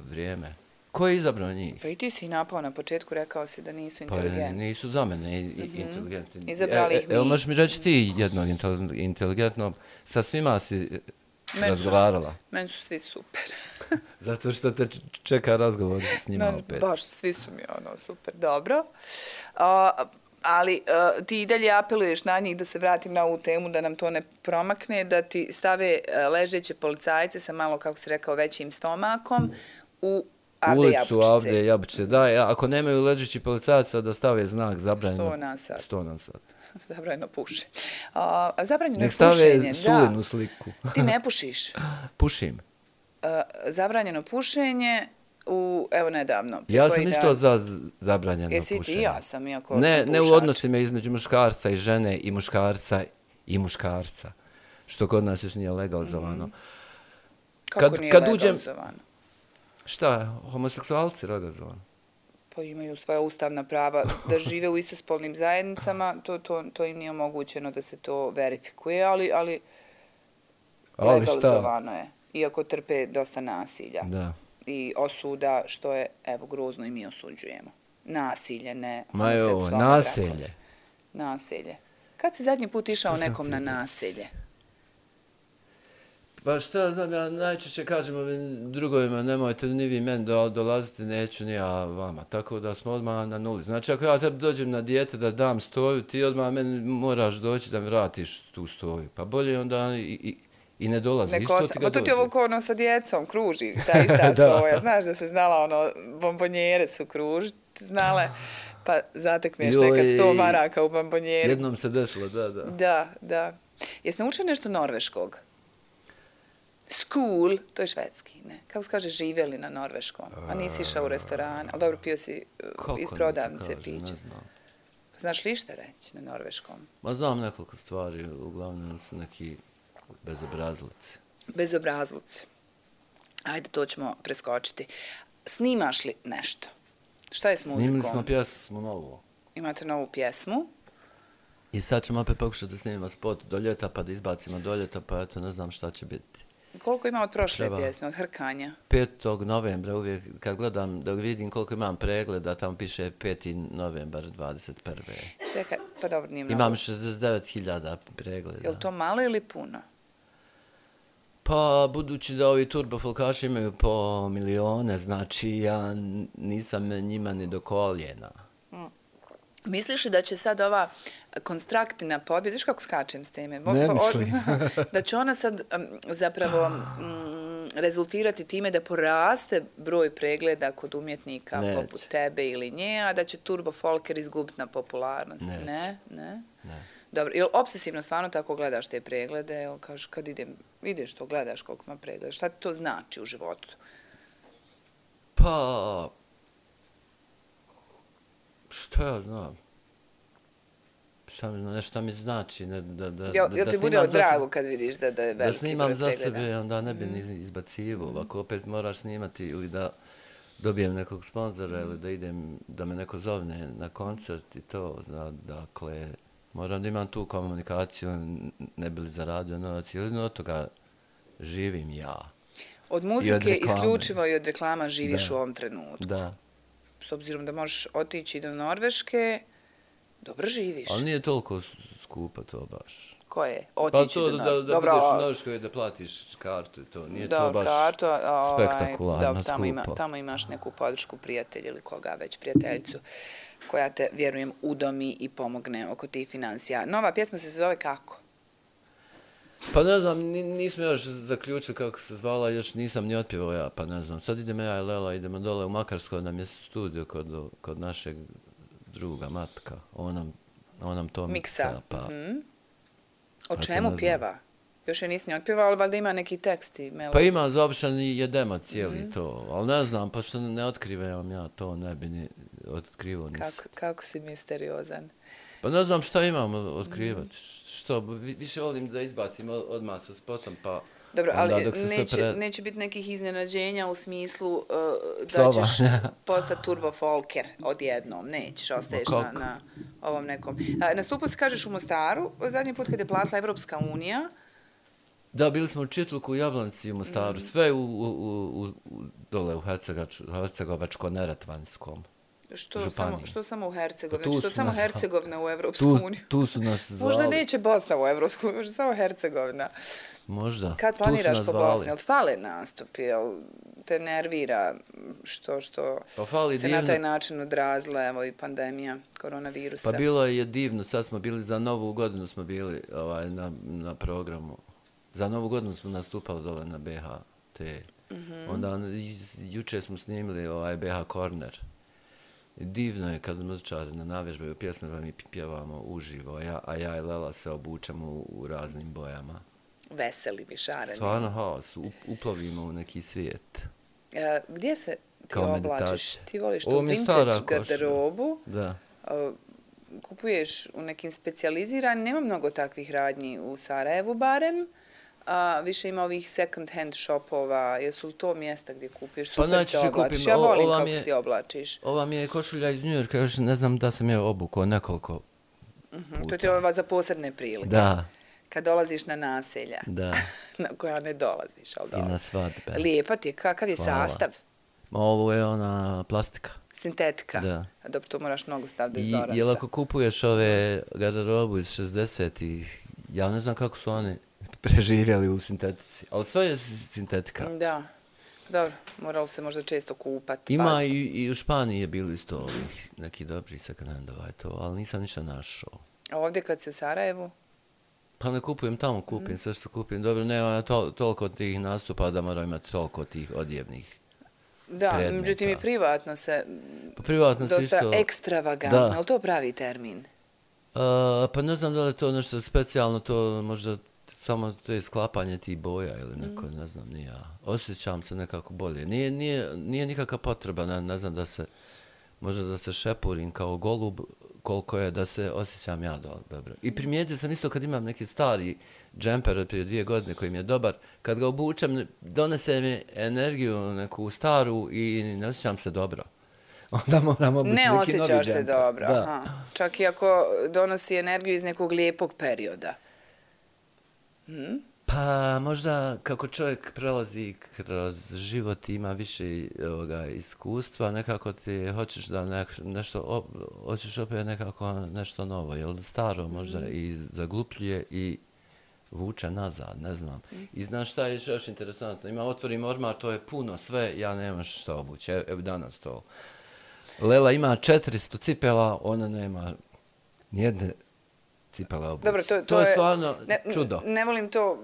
vrijeme. Ko je izabrao njih? Pa i ti si napao na početku, rekao si da nisu Pa inteligentni. nisu za mene i, i, mm-hmm. inteligentni. Izabrali e, ih mi. Evo možeš mi reći ti jednog inteligentnog, sa svima si men razgovarala. Su, meni su svi super. Zato što te čeka razgovor s njima men, opet. Baš, svi su mi ono super, dobro. Uh, ali uh, ti i dalje apeluješ na njih, da se vratim na ovu temu, da nam to ne promakne, da ti stave uh, ležeće policajce sa malo, kako si rekao, većim stomakom u Avde Ulicu Jabučice. Avde Jabučice, da. Ja, ako nemaju ležeći policajaca da stave znak zabranjeno. sto na sat. sto na sat. Zabranjeno puše. A, zabranjeno je Nek stave pušenje. sulenu Da. sliku. Ti ne pušiš. Pušim. A, zabranjeno pušenje u, evo nedavno. Ja sam isto za zabranjeno Jesi pušenje. ti, ja sam, iako ne, sam ne u pušač. odnosima između muškarca i žene i muškarca i muškarca. Što kod nas još nije legalizovano. Mm-hmm. Kako kad, nije kad legalizovano? Uđem, šta, homoseksualci legalizovano? Pa imaju svoja ustavna prava da žive u istospolnim zajednicama, to, to, to im nije omogućeno da se to verifikuje, ali, ali, ali legalizovano šta? je. Iako trpe dosta nasilja. Da. I osuda, što je, evo, grozno i mi osuđujemo. Nasilje, ne Ma je ovo, homoseksualne nasilje. brakove. Nasilje. Kad si zadnji put išao nekom na nasilje? Pa šta znam, ja najčešće kažem ovim drugovima, nemojte ni vi meni do, dolaziti, neću ni ja vama. Tako da smo odmah na nuli. Znači, ako ja tebi dođem na dijete da dam stoju, ti odmah meni moraš doći da mi vratiš tu stoju. Pa bolje onda i, i, i ne dolazi. Neko Isto osta... ti ga Pa to ti dođe. ovo ko ono sa djecom kruži, ta ista stoja. Znaš da se znala, ono, bombonjere su kružiti, znale, pa zatekneš Joj, nekad sto maraka u bombonjeri. Jednom se desilo, da, da. Da, da. Jesi naučio nešto norveškog? School, to je švedski, ne? Kako se kaže, živjeli na norveškom? A nisi išao u restoran, ali dobro, pio si uh, iz prodavnice piće. Ne znam. Znaš li šta reći na norveškom? Ma znam nekoliko stvari, uglavnom su neki bezobrazlici. Bezobrazlici. Ajde, to ćemo preskočiti. Snimaš li nešto? Šta je s muzikom? Snimili smo pjesmu novu. Imate novu pjesmu? I sad ćemo opet pokušati da snimimo spot do ljeta, pa da izbacimo do ljeta, pa eto, ne znam šta će biti. Koliko ima od prošle Treba. pjesme, od Hrkanja? petog novembra, uvijek kad gledam, da vidim koliko imam pregleda, tamo piše peti novembar dvadeset prve. Čekaj, pa dobro, nije mnogo. Imam šezdeset devet hiljada pregleda. Je li to malo ili puno? Pa, budući da ovi turbofolkaši imaju po milione, znači ja nisam njima ni do koljena. Misliš li da će sad ova konstruktivna pobjeda, viš kako skačem s teme, Ne mislim. da će ona sad um, zapravo um, rezultirati time da poraste broj pregleda kod umjetnika Neće. poput tebe ili nje, a da će Turbo Folker izgubiti na popularnosti? Neće. Ne? Ne? Ne. Dobro, ili obsesivno stvarno tako gledaš te preglede, ili kažeš kad idem, ideš to, gledaš koliko ima pregleda, šta ti to znači u životu? Pa, šta ja znam? Šta mi, nešto mi znači? Ne, da, da, Jel, da, jel da ti bude snimam od za drago sebe- kad vidiš da, da je Da veliki snimam broj za pregleda? sebe, onda ne bi ni izbacivo. Ovako opet moraš snimati ili da dobijem nekog sponzora ili da idem, da me neko zovne na koncert i to. Zna, dakle, moram da imam tu komunikaciju, ne bi li zaradio novac ili od toga živim ja. Od I muzike od reklame. isključivo i od reklama živiš Da. u ovom trenutku. Da. S obzirom da možeš otići do Norveške, dobro živiš. Ali nije toliko skupo to baš. Ko je? Pa Otići to do da, Norveške. da, da budeš u Norveškoj i da platiš kartu i to. Nije to baš kartu, ovaj, spektakularno da, tamo, ima, skupo. tamo imaš neku podršku prijatelja ili koga već, prijateljicu, koja te, vjerujem, udomi i pomogne oko tih financija. Nova pjesma se zove kako? Pa ne znam, ni- nismo još zaključili kako se zvala, još nisam ni otpjevao ja, pa ne znam. Sad idemo ja i Lela, idemo dole u Makarsko, nam je studio kod, kod našeg druga Matka. On nam, on nam to miksa, Miksa. pa... Mhm. O to ne čemu znam. pjeva? Još je nisi ni otpjevao, ali valjda ima neki tekst i melodija. Pa ima završen i jedema cijeli Mhm. to, ali ne znam, pa što ne otkrivam ja to, ne bi ni otkrivo nisam. Kako, kako si misteriozan. Pa ne znam šta imamo otkrivati. Mm. Što, više volim da izbacim odmah sa spotom, pa... Dobro, ali dok se neće, pre... neće biti nekih iznenađenja u smislu uh, da Sova. ćeš postati turbo folker odjednom. Nećeš, ostaješ na, na ovom nekom. A, nastupao se, kažeš, u Mostaru, zadnji put kad je platila Evropska unija. Da, bili smo u Čitluku, u Jablanici, u Mostaru, mm. sve u, u, u, u, dole u Hercegovačko-Neretvanskom. Što samo, što samo u Hercegovini? Pa što samo nas, Hercegovina u Evropsku uniju? Tu su nas zvali. Možda neće Bosna u Evropsku uniju, možda samo Hercegovina. Možda. Kad planiraš po Bosni? Jel fale nastup? Jel te nervira što, što pa se divno. Na taj način odrazila evo, i pandemija koronavirusa? Pa bilo je divno. Sad smo bili, za Novu godinu smo bili ovaj, na, na programu. Za Novu godinu smo nastupali dole na B H T. Mm-hmm. Onda juče smo snimili ovaj B H Corner. Divno je kad muzičari na navježbaju pjesme mi pjevamo uživo, a ja, a ja i Lela se obučemo u, u raznim bojama. Veseli mi šareni. Stvarno haos, uplovimo u neki svijet. E, gdje se ti kao oblačiš? meditacija. Ti voliš tu vintage garderobu? Da. E, kupuješ u nekim specijaliziranim, nema mnogo takvih radnji u Sarajevu barem. A više ima ovih second hand shopova, jesu li to mjesta gdje kupuješ, super pa, se oblačiš, kupim, ja volim kako se ti oblačiš. Ova mi je košulja iz New Yorka, još ne znam da sam je obukao nekoliko uh-huh, puta. To ti je ova za posebne prilike. Da. Kad dolaziš na naselja, da. na koja ne dolaziš, ali dobro. I na svadbe. Lijepa ti je, kakav je Hvala. sastav? Ma ovo je ona plastika. Sintetika? Da. Dobro, to moraš mnogo staviti iz Doransa. I jel ako kupuješ ove garderobu iz šezdesetih, ja ne znam kako su oni preživjeli u sintetici, ali sve je sintetika. Da, dobro, moralo se možda često kupati. Ima i, i u Španiji je bilo isto ovih neki dobri second handova, to, ali nisam ništa našao. A ovdje kad si u Sarajevu? Pa ne kupujem tamo, kupim mm. sve što kupim. Dobro, nema to, toliko tih nastupa da moram imati toliko tih odjevnih Da, predmeta. Međutim i privatno se pa privatno dosta isto... ekstravagantno, ali to pravi termin? Uh, pa ne znam da li je to nešto specijalno, to možda samo to je sklapanje tih boja ili neko, mm. ne znam, nije. Osjećam se nekako bolje. Nije, nije, nije nikakva potreba, ne, ne znam da se, možda da se šepurim kao golub, koliko je da se osjećam ja do, dobro. I primijetio sam isto kad imam neki stari džemper od prije dvije godine koji mi je dobar, kad ga obučem, donese mi energiju neku staru i ne osjećam se dobro. Onda moram obući neki novi džemper. Ne osjećaš se dobro, aha. Čak i ako donosi energiju iz nekog lijepog perioda. Hmm? Pa možda kako čovjek prelazi kroz život i ima više ovoga, iskustva, nekako ti hoćeš da ne, nešto, op, hoćeš opet nekako nešto novo, jer staro možda mm. i zaglupljuje i vuče nazad, ne znam. Mm. I znaš šta je još interesantno, ima otvorim ormar, to je puno sve, ja nemam šta obući, evo danas to. Lela ima četiristo cipela, ona nema nijedne cipela obući. Dobro, to, to, to je stvarno ne, čudo. Ne volim to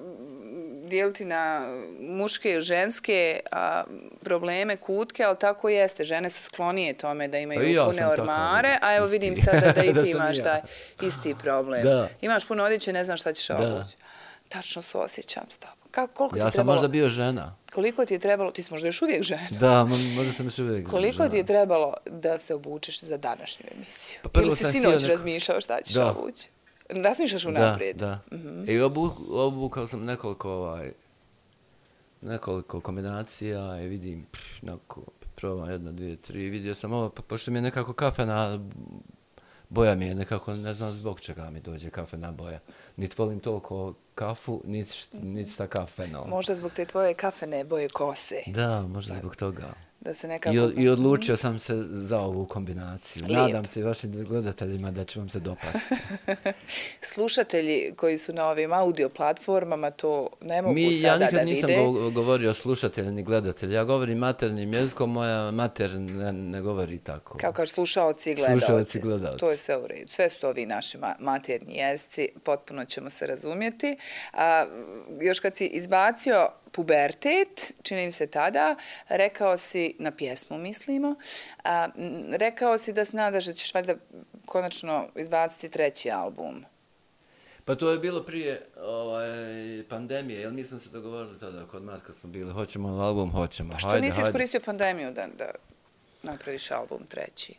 dijeliti na muške i ženske a, probleme, kutke, ali tako jeste. Žene su sklonije tome da imaju ja pune ormare, tako, a evo isti. Vidim sada da i ti imaš taj isti problem. Da. Imaš puno odjeće, ne znam šta ćeš obući. Tačno se osjećam s tobom. Kako, koliko ja ti sam trebalo, možda bio žena. Koliko ti je trebalo, ti si možda još uvijek žena. Da, možda sam još uvijek koliko žena. Koliko ti je trebalo da se obučeš za današnju emisiju? Pa ili si sinoć neko... razmišljao šta ćeš da. obući? Razmišljaš unaprijed? Da, da. Mm-hmm. I obu, obukao sam nekoliko, ovaj, nekoliko kombinacija i vidim, pff, neko, probam jedna, dvije, tri, vidio sam ovo, po, pošto mi je nekako kafena boja mi je nekako, ne znam zbog čega mi dođe kafena boja. Niti volim toliko kafu, niti, niti sa kafenom. Možda zbog te tvoje kafene boje kose. Da, možda zbog toga. Da se nekako... I, od, I odlučio sam se za ovu kombinaciju. Lijep. Nadam se i vašim gledateljima da će vam se dopasti. Slušatelji koji su na ovim audio platformama to ne mogu Mi, sada da vide. Ja nikad nisam go, govorio slušatelji ni gledatelji. Ja govorim maternim jezikom, moja mater ne, ne govori tako. Kao kažeš slušaoci i gledalci. Slušaoci i gledalci. To je sve u redu. Sve su to ovi naši materni jezici. Potpuno ćemo se razumjeti. A, još kad si izbacio pubertet, čini mi se tada, rekao si, na pjesmu mislimo, a, rekao si da se nadaš da ćeš valjda konačno izbaciti treći album. Pa to je bilo prije ovaj, pandemije, jer mi smo se dogovorili tada kod Matka smo bili, hoćemo album, hoćemo. Pa što hajde, nisi hajde. iskoristio pandemiju da, da napraviš album treći?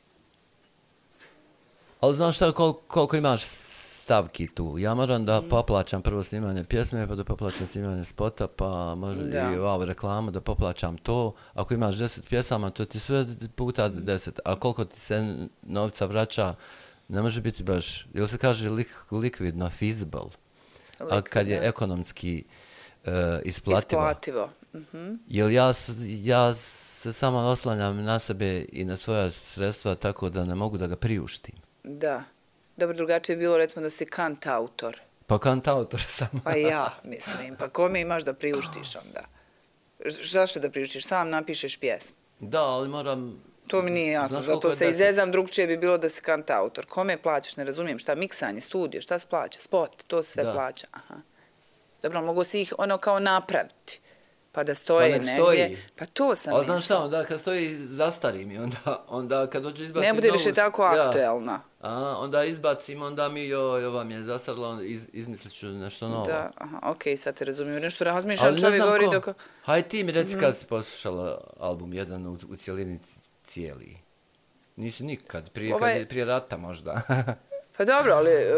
Ali znaš šta, kol, koliko imaš stavki tu? Ja moram da poplaćam prvo snimanje pjesme, pa da poplaćam snimanje spota, pa možda Da. i ovu reklamu, da poplaćam to. Ako imaš deset pjesama, to ti sve puta deset. A koliko ti se novca vraća, ne može biti baš, jel se kaže lik, likvidno, feasible? A kad je Likvidno. ekonomski uh, isplativo. Isplativo. Mhm. Jer ja, s- ja se samo oslanjam na sebe i na svoja sredstva tako da ne mogu da ga priuštim. Da. Dobro, drugačije je bilo recimo da si kantautor. Pa kantautor sam. Pa ja, mislim. Pa kome imaš da priuštiš onda? Ž- Zašto da priuštiš? Sam napišeš pjesmu. Da, ali moram... To mi nije jasno, Znaš koliko zato je se deset? izezam, drugčije bi bilo da si kantautor. Kome plaćaš, ne razumijem, šta, miksanje, studio, šta se plaća, spot, to se sve Da. plaća. Aha. Dobro, mogu si ih ono kao napraviti, pa da stoje nek negdje. stoji. Pa to sam Ali znaš mislila. šta, onda kad stoji zastarim i onda, onda kad dođe izbacim Ne bude novu- više tako ja, aktuelna. a, onda izbacim, onda mi joj, ova mi je zastarila, onda iz, izmislit ću nešto novo. Da, aha, okej, sad te razumijem. Nešto razmišljam, Ali ne čovjek znam govori ko. dok... Hajde ti mi reci kad si poslušala album jedan u, u cijelini cijeli. Nisi nikad, prije, Ovaj- kad je, prije rata možda. Pa dobro, ali... e,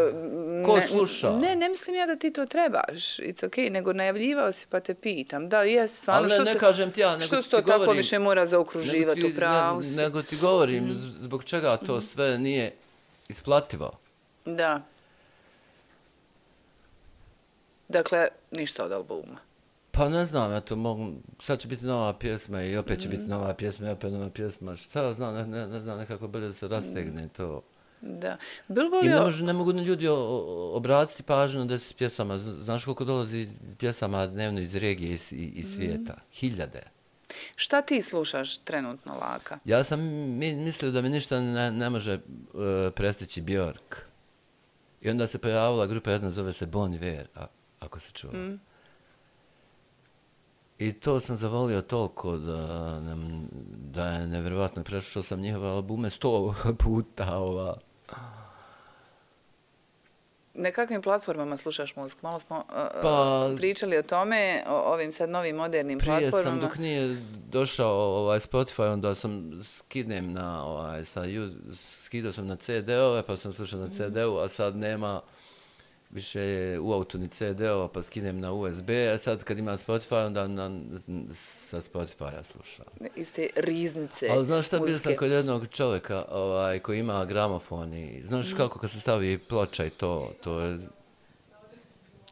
Ko ne- sluša? Ne, ne mislim ja da ti to trebaš, it's okej, nego najavljivao si pa te pitam. Da, jes, stvarno, Ali ne, što ne se... kažem ti ja, nego Što ti se to tako govorim- više mora Nego zaokruživati ti- u pravu ne- si? Nego ti govorim z- zbog čega to sve nije isplativo. Da. Dakle, ništa od albuma. Pa ne znam, ja to mogu, sad će biti nova pjesma i opet će Mhm. biti nova pjesma i opet nova pjesma. Šta ja znam, ne, ne, ne znam, nekako bolje da se rastegne to. Da. Bil I ne, volio... može, ne mogu ni ljudi o- o- obratiti pažnju na deset pjesama. Z- Znaš koliko dolazi pjesama dnevno iz regije i, s- i, i svijeta? Hiljade. Šta ti slušaš trenutno, Laka? Ja sam mi, mislio da mi ništa ne, ne može uh, prestići Björk. I onda se pojavila grupa jedna, zove se Bon Iver, a, ako se čuva. Mm. I to sam zavolio toliko da, nam, da je nevjerovatno. Prešao sam njihove albume sto puta. Ova. Na kakvim platformama slušaš muziku? Malo smo uh, Pa- pričali o tome, o ovim sad novim modernim Prije platformama. sam, dok nije došao ovaj Spotify, onda sam skidnem na, ovaj, sa, ju- skidao sam na ce de ove, pa sam slušao na ce de u, a sad nema više je u autu ni ce de ova, pa skinem na u es be, a sad kad ima Spotify, onda na, sa Spotify-a slušam. Iz te riznice Ali znaš šta, bio muzike. sam kod jednog čovjeka ovaj, koji ima gramofon i znaš kako kad se stavi ploča i to, to je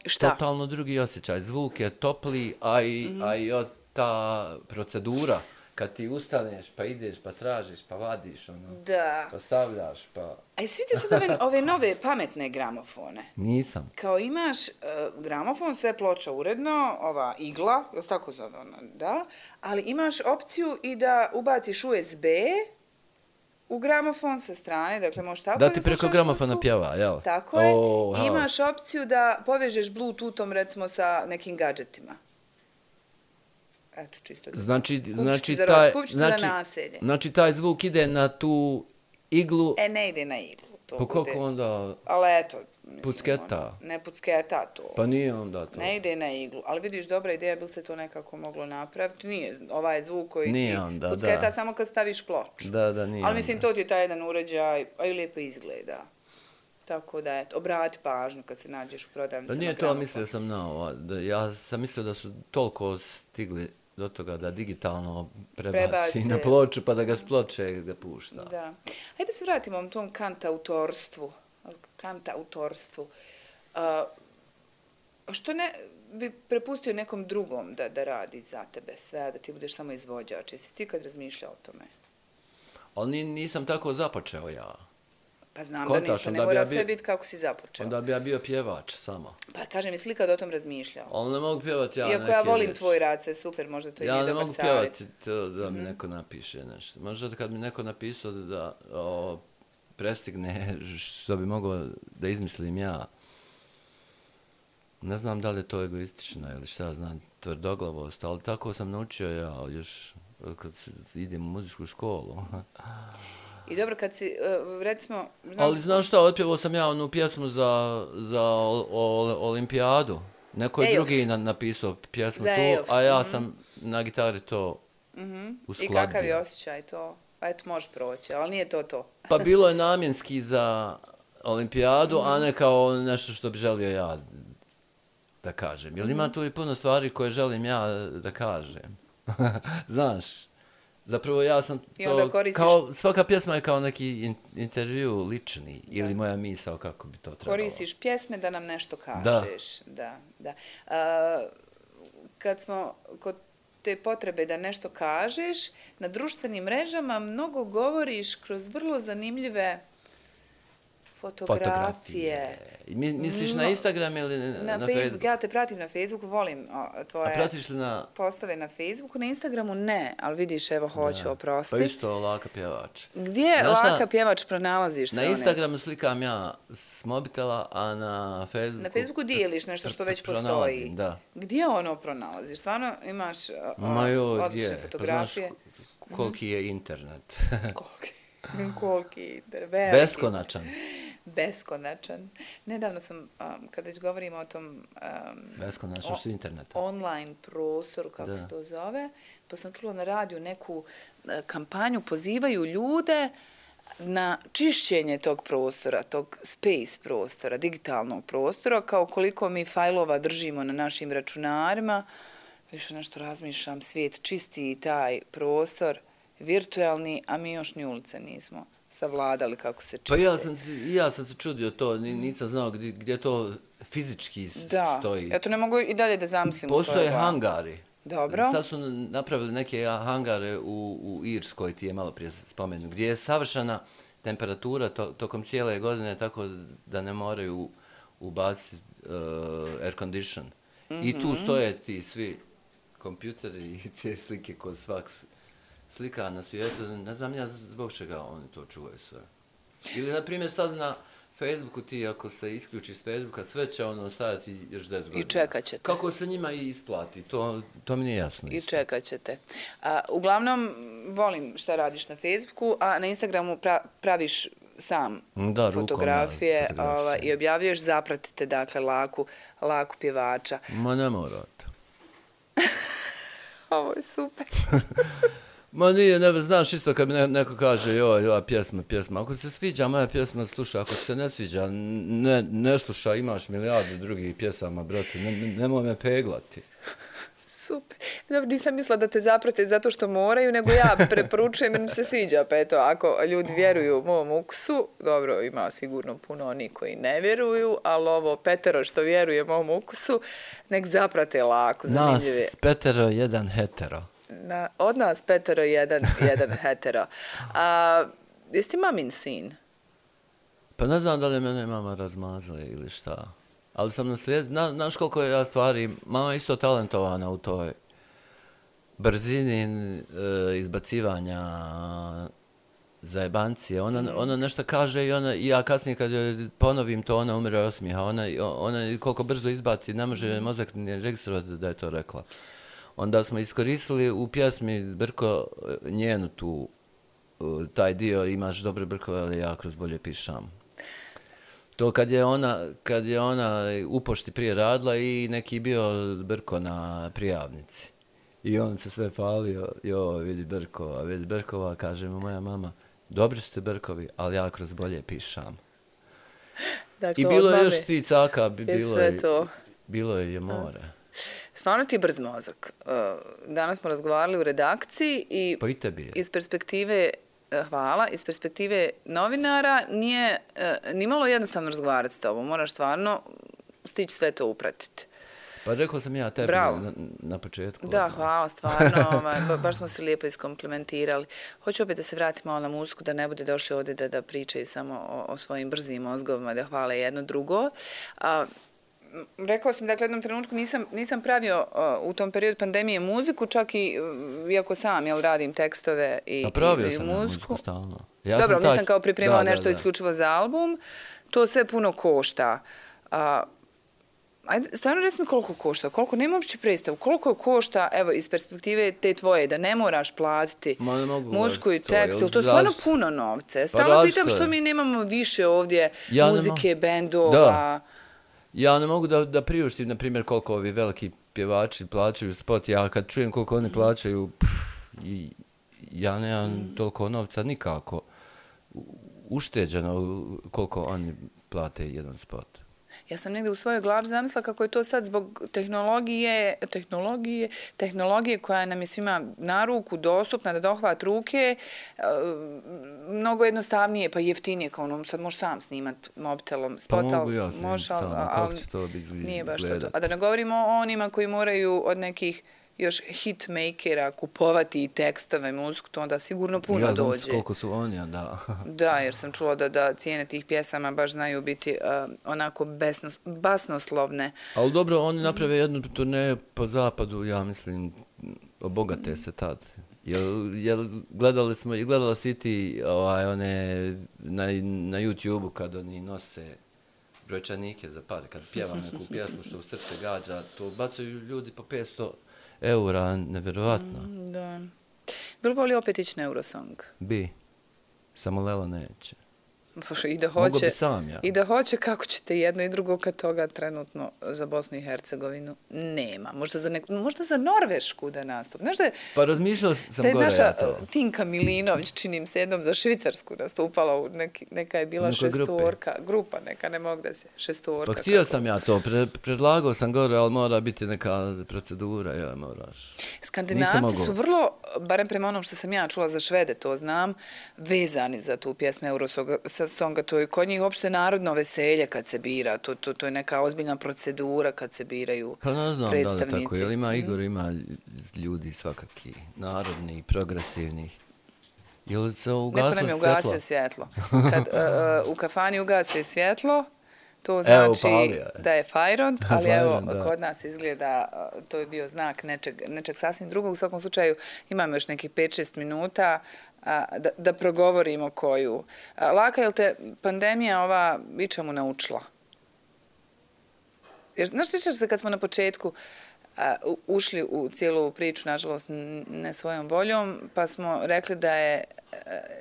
Šta? totalno drugi osjećaj. Zvuk je topli, a i, a i od ta procedura, kad ti ustaneš, pa ideš, pa tražiš, pa vadiš, ono, Da. pa stavljaš, pa... A jesi vidio sad ove, ove nove pametne gramofone? Nisam. Kao imaš uh, gramofon, sve ploča uredno, ova igla, je li se tako zove ona, da? Ali imaš opciju i da ubaciš u es be u gramofon sa strane, dakle možeš tako Da ti preko slušaš gramofona muziku. pjeva, jel? Tako je. O, I haos. imaš opciju da povežeš bluetoothom recimo sa nekim gadžetima. Eto, čisto. da- Znači, Kupit ću znači, ti za taj, rod, kupit ću ti za znači, naselje. znači, taj zvuk ide na tu iglu, E, ne ide na iglu. To po koliko bude- onda, Ali eto, mislim, Pucketa. ono, ne pucketa to. pa nije onda to. Ne ide na iglu, ali vidiš, dobra ideja, bi li se to nekako moglo napraviti? Nije, ovaj zvuk koji Nije ti onda, pucketa da. samo kad staviš ploču. Da, da, nije Ali mislim, onda. to ti je taj jedan uređaj, a i lijepo izgleda. Tako da, eto, obrati pažnju kad se nađeš u Pa prodavnicama. nije to, gramofona. mislio sam na ovo. Da, ja sam mislio da su toliko stigli do toga da digitalno prebaci Prebace. na ploču pa da ga s ploče ga pušta. Da. Hajde se vratimo o tom kantautorstvu. Kantautorstvu. Uh, što ne bi prepustio nekom drugom da, da radi za tebe sve, a da ti budeš samo izvođač? Jesi ti kad razmišljao o tome? Ali ni- nisam tako započeo ja. Pa znam Kontaš, da ništa, ne onda bi mora ja sve bio- biti kako si započeo. Onda bi ja bio pjevač samo. Pa kažem, jesi li kad o tom razmišljao? Ali ne mogu pjevati ja Iako neke ja volim riječi. tvoj rad, sve super, možda to i Ja nije ne dobar mogu savjet. pjevati to da mi neko napiše nešto. Možda kad mi neko napisao da o, prestigne što bi mogao da izmislim ja. Ne znam da li je to egoistično ili šta znam, tvrdoglavost, ali tako sam naučio ja još kad s- idem u muzičku školu. I dobro, kad si, uh, recimo... Znam, Ali znaš šta, otpjevao sam ja onu pjesmu za, za ol, ol, olimpijadu. Neko je Ejof. drugi na, napisao pjesmu Za tu, Ejof, a ja mhm. sam na gitari to Mhm. u I kakav je skladbi. osjećaj to? pa eto, može proći, ali nije to to. Pa bilo je namjenski za olimpijadu, a ne kao nešto što bi želio ja da kažem. Jer ima tu i puno stvari koje želim ja da kažem. Znaš, zapravo ja sam to, koristiš... kao, svaka pjesma je kao neki in, intervju lični ili da. Moja misao kako bi to trebalo. Koristiš pjesme da nam nešto kažeš. Da. Da, da. A, kad smo kod te potrebe da nešto kažeš, na društvenim mrežama mnogo govoriš kroz vrlo zanimljive fotografije. fotografije. Misliš no, na Instagram ili na, na, na Facebook? Facebook? Ja te pratim na Facebooku, volim o, tvoje A pratiš li na... postave na Facebooku. Na Instagramu ne, ali vidiš, evo, hoću, oprosti. Pa isto Laka pjevač. Gdje Znaš Laka pjevač pronalaziš se? Na Instagramu slikam ja s mobitela, a na Facebooku... Na Facebooku dijeliš nešto što već postoji. Da. Gdje ono pronalaziš? Stvarno imaš o, Ma jo, odlične fotografije? Pa znaš koliki je internet. koliki? Koliki internet? Beskonačan. Beskonačan. Nedavno sam, um, kada već govorimo o tom um, beskonačan što interneta. Online prostoru, kako da. Se to zove, pa sam čula na radiju neku uh, kampanju, pozivaju ljude na čišćenje tog prostora, tog space prostora, digitalnog prostora, kao koliko mi fajlova držimo na našim računarima. Više nešto razmišljam, svijet čisti taj prostor, virtualni, a mi još ni ulice nismo savladali kako se čiste. Pa ja sam, ja sam se čudio to, nisam znao gdje, gdje to fizički da. stoji. Ja to ne mogu i dalje da zamislim u svojoj glavi. Postoje hangari. Dobro. Sad su napravili neke hangare u, u Irskoj, ti je malo prije spomenu, gdje je savršena temperatura to, tokom cijele godine, tako da ne moraju ubaciti uh, air condition. Mm-hmm. I tu stoje ti svi kompjuteri i te slike kod svak slika na svijetu, ne znam ja zbog čega oni to čuvaju sve. Ili, na primjer, sad na Facebooku ti, ako se isključi s Facebooka, sve će ono stajati još deset godina. I čekat ćete. Kako se njima i isplati, to, to mi nije jasno. I čekat ćete. A, uglavnom, volim šta radiš na Facebooku, a na Instagramu pra, praviš sam da, fotografije, rukom, da, ova, i objavljuješ, zapratite, dakle, Laku, Laku pjevača. Ma ne morate. Ovo je super. Ma nije, ne znaš isto kad mi neko kaže joj, ova pjesma, pjesma. Ako se sviđa moja pjesma, slušaj. Ako se ne sviđa, ne, ne slušaj, imaš milijardu drugih pjesama, brate. Ne, nemoj me peglati. Super. Dobro, nisam mislila da te zaprate zato što moraju, nego ja preporučujem jer mi se sviđa. Pa eto, ako ljudi vjeruju mom ukusu, dobro, ima sigurno puno oni koji ne vjeruju, ali ovo petero što vjeruje mom ukusu, nek zaprate Laku. Zanimljive. Nas petero, jedan hetero. Na, od nas petero, jedan, jedan hetero. A, jesi ti mamin sin? Pa ne znam da li mene mama razmazla ili šta. Ali sam naslijed... Na, znaš koliko je ja stvari... Mama je isto talentovana u toj brzini e, izbacivanja zajebancije. Ona, mm. ona nešto kaže i, ona, i ja kasnije kad joj ponovim to, ona umre osmijeha. Ona, ona koliko brzo izbaci, ne može mozak ni registrovati da je to rekla. Onda smo iskoristili u pjesmi Brko njenu tu, taj dio imaš dobre brkove, ali ja kroz bolje pišam. To kad je ona, kad je ona u pošti prije radila i neki bio Brko na prijavnici. I on se sve falio, jo, vidi Brkova, vidi Brkova, kaže mu moja mama, dobri ste Brkovi, ali ja kroz bolje pišam. Dakle, i bilo je još ti caka, bilo je, bilo je more. Stvarno ti je brz mozak. Danas smo razgovarali u redakciji i, pa i tebi je. Iz perspektive, hvala, iz perspektive novinara nije nimalo jednostavno razgovarati s tobom. Moraš stvarno stići sve to upratiti. Pa rekao sam ja tebi na, na početku. Da, hvala, stvarno. Ovaj, baš smo se lijepo iskomplementirali. Hoću opet da se vratimo malo na muziku, da ne bude došli ovdje da, da pričaju samo o, o svojim brzim mozgovima, da hvale jedno drugo. A, rekao sam, dakle, u jednom trenutku nisam, nisam pravio uh, u tom periodu pandemije muziku, čak i, uh, iako sam, jel, radim tekstove i, i, i muziku. Pravio sam muziku stalno. Ja Dobro, sam nisam kao pripremala da, nešto da, da. isključivo za album. To sve puno košta. Uh, ajde, stvarno reci mi koliko košta, koliko, nema uopće predstavu, koliko košta, evo, iz perspektive te tvoje, da ne moraš platiti muziku i tekst, to je stvarno puno novce. Stalno pa pitam što mi nemamo više ovdje ja muzike, bendova. Da. Ja ne mogu da, da priuštim, na primjer, koliko ovi veliki pjevači plaćaju spot. Ja kad čujem koliko oni plaćaju, pff, i, ja nemam mm. toliko novca nikako ušteđeno koliko oni plate jedan spot. Ja sam negdje u svojoj glavi zamislila kako je to sad zbog tehnologije, tehnologije, tehnologije koja nam je svima na ruku dostupna da dohvat ruke, mnogo jednostavnije pa jeftinije, kao ono sad možeš sam snimat mobitelom, spot, pa mogu ja možeš, sam, ali, kako će to biti nije baš to. A da ne govorimo o onima koji moraju od nekih još hitmakera kupovati i tekstove, muziku, to onda sigurno puno ja dođe. Ja znam koliko su oni, da. Da, jer sam čula da, da cijene tih pjesama baš znaju biti uh, onako besnos, basnoslovne. Ali dobro, oni naprave jednu turneju po zapadu, ja mislim, obogate se tad. Jel, jel gledali smo, i gledala si ti ovaj, one na, na YouTube-u kad oni nose brojčanike za pare, kad pjeva neku pjesmu što u srce gađa, to bacaju ljudi po petsto eura, nevjerovatno. Mm, da. Bilo voli opet ići na Eurosong? Bi. Samo Lelo neće. I da hoće, Mogu bi sam, ja. I da hoće, kako ćete jedno i drugo kad toga trenutno za Bosnu i Hercegovinu nema. Možda za, neku, možda za Norvešku da nastupi. Znaš da je, pa razmišljao sam da je gore naša ja to. Tinka Milinović, činim se jednom za Švicarsku nastupala, u neki, neka je bila šestorka. Grupa neka, ne mogu da se, šestorka. Pa htio sam ja to, pre, predlagao sam gore, ali mora biti neka procedura, ja moraš. Skandinavci su vrlo, barem prema onom što sam ja čula za Švede, to znam, vezani za tu pjesmu Eurosonga. Songa, to je kod njih uopšte narodno veselje kad se bira, to, to, to je neka ozbiljna procedura kad se biraju pa ne znam predstavnici. Da li tako, jer ima Igor, ima ljudi svakaki, narodni, progresivni. Jel se ugasilo Neko nam je ugasio svjetlo. Kad uh, u kafani ugasi svjetlo, to znači evo, da je fajront, ali evo, kod nas izgleda, to je bio znak nečeg, nečeg sasvim drugog. U svakom slučaju imamo još nekih pet šest minuta da, da progovorimo koju. Laka, je li te pandemija ova ičemu naučila? Jer, znaš, sjećaš se kad smo na početku uh, ušli u cijelu priču, nažalost, ne svojom voljom, pa smo rekli da je uh,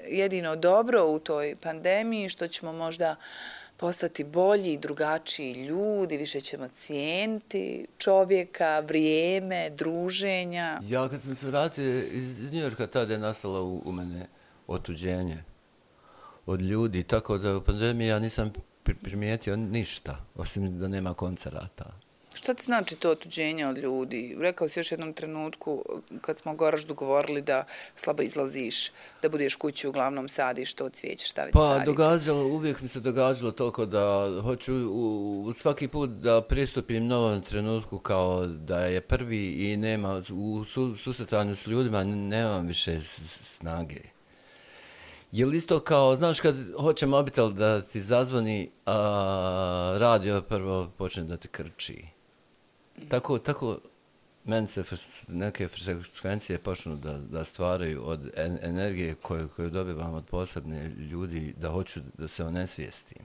jedino dobro u toj pandemiji što ćemo možda postati bolji, drugačiji ljudi, više ćemo cijeniti čovjeka, vrijeme, druženja. Ja kad sam se vratio iz, iz Njujorka, tada je nastalo u, u mene otuđenje od ljudi, tako da u pandemiji ja nisam primijetio ništa, osim da nema koncerata. Šta ti znači to otuđenje od ljudi? Rekao si još jednom trenutku, kad smo Goraždu govorili da slabo izlaziš, da budeš kući, uglavnom sadiš to cvijeće, šta već pa, saditi? Pa događalo, uvijek mi se događalo toliko da hoću u, u svaki put da pristupim novom trenutku kao da je prvi i nema, u su, susretanju s ljudima nemam više snage. Je li isto kao, znaš, kad hoće mobitel da ti zazvoni, a radio prvo počne da ti krči. Tako, tako meni se neke frekvencije počnu da, da stvaraju od en, energije koju, koju dobivam od posebne ljudi, da hoću da se onesvijestim.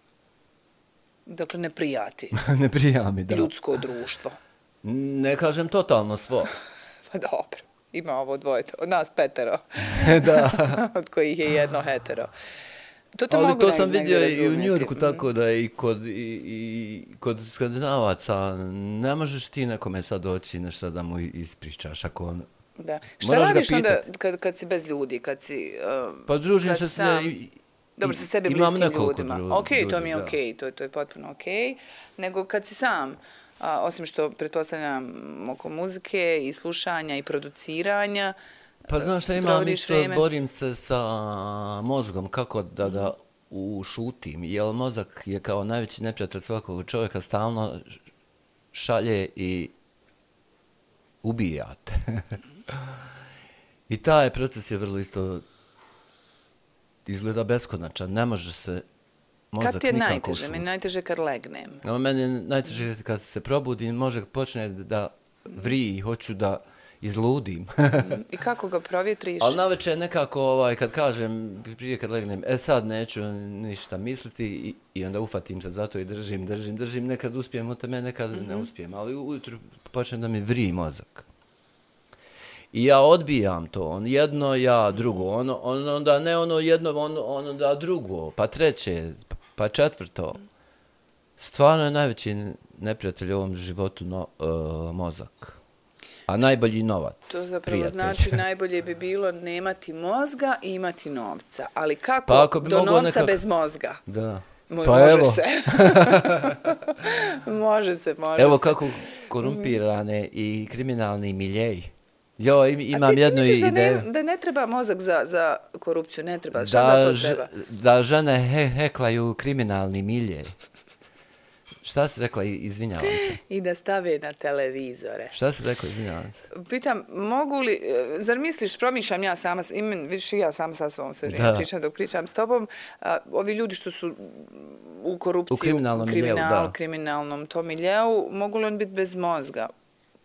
Dakle, ne prijati. Ne prija mi, da. Ljudsko društvo. Ne kažem totalno svo. Pa dobro, ima ovo dvoje, od nas petero. Da. Od kojih je jedno hetero. To ali mogu to sam vidio i u Njujorku, tako da i kod, i, i kod Skandinavaca ne možeš ti nekome sad doći nešto da mu ispričaš ako on... Da. Šta radiš onda kad, kad si bez ljudi, kad si... Uh, pa družim se sam... sve i, dobro, sa sebi bliskim ljudima. Dru, ok, ljudi, to mi je ok, to, to je potpuno ok. Nego kad si sam, a, osim što pretpostavljam oko muzike i slušanja i produciranja, pa znaš šta imam isto, vreme. Borim se sa mozgom, kako da ga ušutim, jer mozak je kao najveći neprijatelj svakog čovjeka, stalno šalje i ubijate. I taj proces je vrlo isto izgleda beskonačan, ne može se mozak kad ti je nikako najteže? ušuti. Meni najteže kad legnem. No, meni je najteže kad se probudim, mozak počne da vriji, hoću da izludim. I kako ga provjetriš? Ali navečer nekako, ovaj, kad kažem, prije kad legnem, e sad neću ništa misliti i, i onda ufatim se zato i držim, držim, držim, nekad uspijem od teme, nekad mm-hmm. ne uspijem, ali ujutru počne da mi vriji mozak. I ja odbijam to, on jedno, ja drugo, ono, on, onda ne ono jedno, on, on onda drugo, pa treće, pa četvrto. Stvarno je najveći neprijatelj u ovom životu no, uh, mozak. a najbolji novac. To zapravo prijatelj. znači najbolje bi bilo nemati mozga i imati novca. Ali kako Pa ako bi do mogao novca nekak... bez mozga? Da. Mo- Pa može evo. se. može se, može Evo se. kako korumpirane i kriminalni miljeji. Jo, im, imam A ti, jednu ti misliš ideju. da ne, da ne treba mozak za, za korupciju? Ne treba. Šta Da, za to ž- treba? da žene he, heklaju kriminalni milje. Šta si rekla? Izvinjavam se. I da stave na televizore. Šta si rekla? Izvinjavam se. Pitam, mogu li, e, zar misliš, promišljam ja sama, s- imen, vidiš i ja sama sa sobom sve vrijeme Da. pričam dok pričam s tobom, a, ovi ljudi što su u korupciji, U kriminalnom u miljeu, kriminalu, da. kriminalnom tom miljeu, mogu li on biti bez mozga?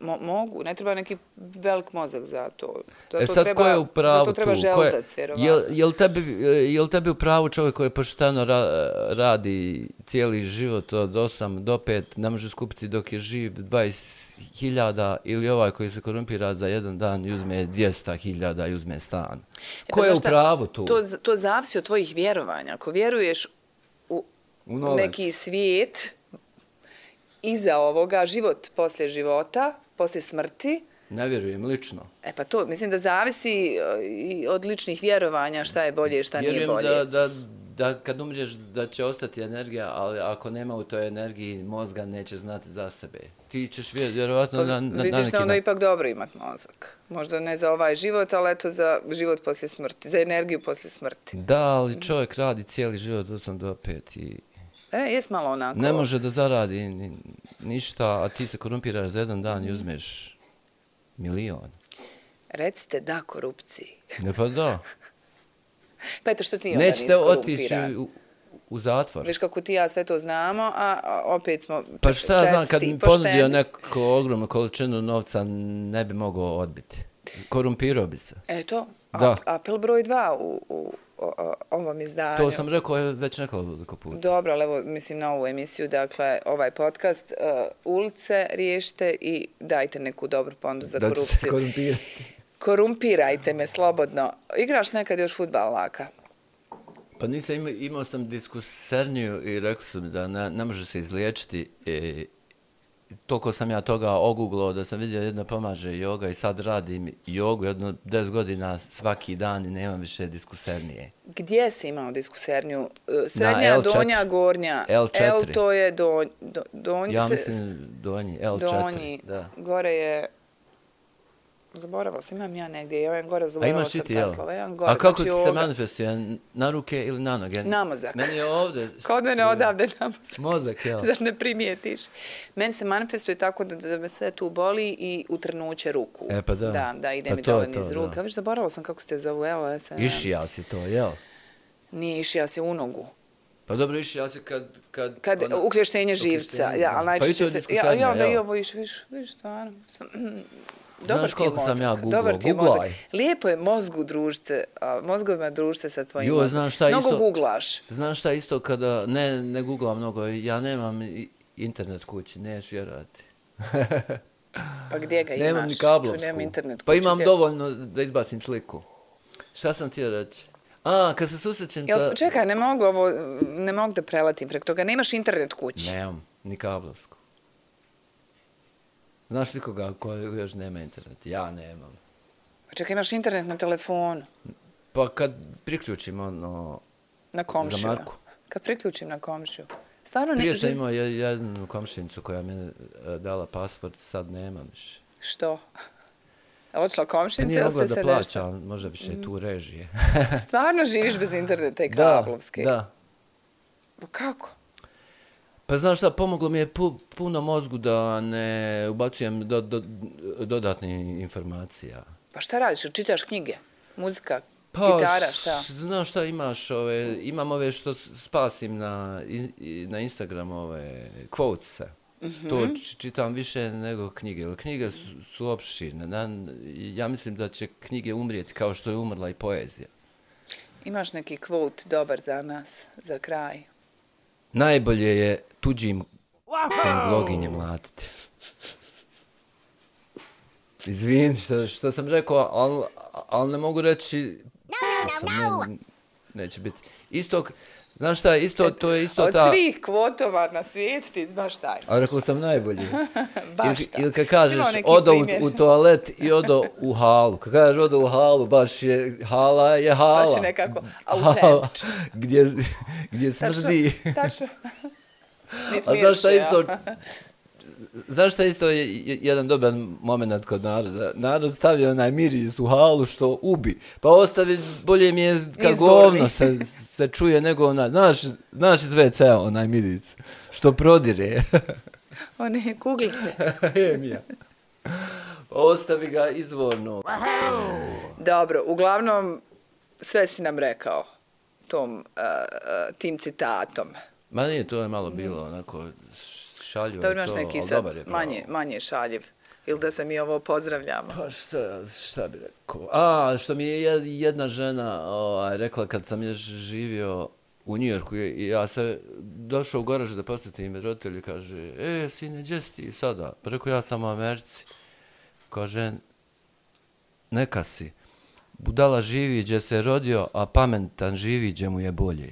Mo, mogu, ne treba neki velik mozak za to. Za E to sad, treba, ko je u pravu za to treba tu? Ko je- želudac, vjerovatno. Jel, jel, tebi, jel tebi u pravu čovjek koji pošteno ra, radi cijeli život od osam do pet, ne može skupiti dok je živ dvadeset hiljada ili ovaj koji se korumpira za jedan dan i uzme dvjesto hiljada i uzme stan? E, Ko pa je u znaš šta, pravu tu? To, to zavisi od tvojih vjerovanja. Ako vjeruješ u, U novac. neki svijet iza ovoga, život poslije života, poslije smrti, Ne vjerujem lično. e pa to, mislim da zavisi e, i od ličnih vjerovanja šta je bolje i šta nije Vjerujem bolje. da, da, da kad umriješ da će ostati energija, ali ako nema u toj energiji mozga neće znati za sebe. Ti ćeš vjer, vjerovatno Pa na, na, na vidiš neki da onda na- ipak dobro imat mozak. Možda ne za ovaj život, ali eto za život poslije smrti, za energiju poslije smrti. Da, ali čovjek radi cijeli život od osam do pet i E, jes malo onako. ne može da zaradi ni, ništa, a ti se korumpiraš za jedan dan i uzmeš milion. Recite da korupciji. Ne pa da. Pa eto što ti onda Nećete nisi otići korumpiran. u, u zatvor. Viš kako ti i ja sve to znamo, a, a opet smo Pa čest- šta ja znam, kad čestiti mi i pošteni. ponudio neku ogromnu količinu novca, ne bi mogao odbiti. Korumpirao bi se. Eto, Da. ap, apel broj dva u, u, o- o- ovom izdanju. To sam rekao je već nekoliko puta. Dobro, ali evo, mislim na ovu emisiju, dakle, ovaj podcast, uh, ulice riješite i dajte neku dobru pondu za Da će se korupciju. korumpirati. Korumpirajte me slobodno. Igraš nekad još fudbal, Laka? Pa nisam imao, imao sam diskuserniju i rekli su mi da ne, ne može se izliječiti. I, toliko sam ja toga oguglao da sam vidio jedna pomaže joga i sad radim jogu jedno deset godina svaki dan i nemam više diskusernije. Gdje si imao diskuserniju? Uh, Srednja, L četiri. donja, gornja? L četiri. L to je donj, do, donj, Ja se- mislim donji, L četiri. donji, Da. gore je, zaboravila sam, imam ja negdje, ja imam gore, A zaboravila imaš sam i ti, jel? Teslova, ja imam gore, A kako znači ti se ovoga. manifestuje? Na ruke ili na noge? Na mozak. Meni je ovdje. Kod mene odavde na mozak. Mozak, jel? Zar ne primijetiš? Meni se manifestuje tako da, da me sve tu boli i utrnuće ruku. E, pa da. Da, da, ide Pa mi to je dole to, niz da. ruka. Viš, zaboravila sam kako se te zovu, evo, ja sam... Išija si to, jel? Nije išija se u nogu. Pa dobro, išija si kad... Kad, Kad ona- ukleštenje živca, ukleštenje, ja, da. ali Pa i to najčešće je se... Ja, diskuternija, ja, da i jel? ovo iš, viš, viš, stvarno. stvarno. Znaš Dobar ti je koliko sam mozak, ja googlao? dobar ti je Googlaj. mozak. Lijepo je mozgu družce, a, mozgovima družce sa tvojim Jo, mozgom. znaš šta Mnogo isto- googlaš. Znaš šta isto kada, ne, ne googlam mnogo, ja nemam i- internet kući, neš vjerovati. Pa gdje ga imaš? Nemam ni Čuj, kablovsku. nemam internet Pa kuću, imam gdje- dovoljno da izbacim sliku. Šta sam htio reći? A, kad se susrećem Jel, sa... čekaj, ne mogu ovo, ne mogu da preletim preko toga. Nemaš internet kući. Nemam, ni kablovsku. Znaš li koga ko još nema internet? Ja nemam. Pa čekaj, imaš internet na telefonu, Pa kad priključim ono... na komšiju. Za Marku. Kad priključim na komšiju. Stvarno ne... Prije sam živ- imao je- jednu komšinicu koja mi je e, dala password, sad nemam više. Što? Je li odšla Pa komšinica nije ili mogla ste da se plaća, nešto? možda više tu režije. Stvarno živiš bez interneta i Da, kablovske? da. Pa kako? Pa znaš šta, pomoglo mi je pu, puno mozgu da ne ubacujem do, do, dodatne informacija. Pa šta radiš? Čitaš knjige? Muzika? Pa, Gitara? Šta? š- znaš šta imaš, ove, imam ove što s- spasim na, in- i- na Instagram, ove, quotese. Mhm. To č- čitam više nego knjige, jer knjige su, su opširne. Na, ja mislim da će knjige umrijeti kao što je umrla i poezija. Imaš neki quote dobar za nas, za kraj? Najbolje je tuđim bloginje mlatiti. Izvini što, što sam rekao, ali al ne mogu reći... No, no, no, no. Ne, neće biti. Isto, Znaš šta, isto, to je isto Od ta... svih kvotova na svijetu ti baš taj. A rekao sam najbolji. Baš ili, taj. ili kad kažeš Imao neki odo u, primjer. u toalet i odo u halu. Kad kažeš odo u halu, baš je hala je hala. Baš je nekako autentično. Gdje, gdje smrdi. Tačno, tačno. Nit A znaš šta mirše, isto... ja. Znaš šta isto je jedan dobar moment kod naroda? Narod stavio onaj miris u halu što ubi. Pa ostavi, bolje mi je kad Izvorni. govno se, se čuje nego onaj, znaš, znaš iz ve cea onaj miris što prodire. One kuglice. Je mi ja. Ostavi ga izvorno. Dobro, uglavnom sve si nam rekao tom, uh, uh, tim citatom. Ma nije, to je malo bilo onako šaljivo. Dobro, imaš to, neki ali sad dobar je pravo. manje, manje šaljiv. Ili da se mi ovo pozdravljamo. Pa šta, šta bi rekao? A, što mi je jed- jedna žena ovaj, rekla kad sam je živio u Njujorku i ja se došao u garaž da posjetim roditelji, kaže, e, sine, gdje si ti sada? Pa rekao, ja sam u Americi. Kaže, neka si. Budala živi gdje se rodio, a pametan živi gdje mu je bolje.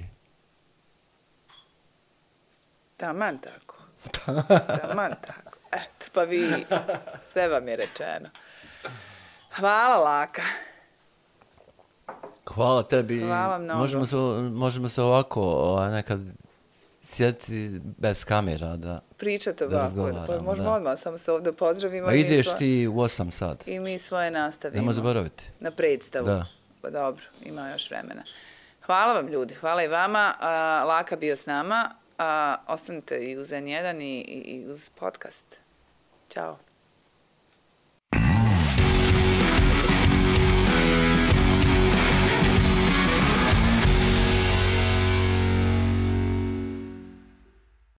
Taman tako. Taman tako. Eto, pa vi, sve vam je rečeno. Hvala, Laka. Hvala tebi. Hvala mnogo. Možemo se, možemo se ovako ovaj, nekad sjetiti bez kamera da... Pričate Da ovako, razgovaramo, pa možemo da. odmah samo se ovdje pozdravimo. A i mi ideš svoje- ti u osam sat. I mi svoje nastavimo. Nemoj zaboraviti. Na predstavu. Da. Pa dobro, ima još vremena. Hvala vam ljudi, hvala i vama. A, Laka bio s nama. A, ostanite i uz en jedan i, i, i uz podcast. Ćao.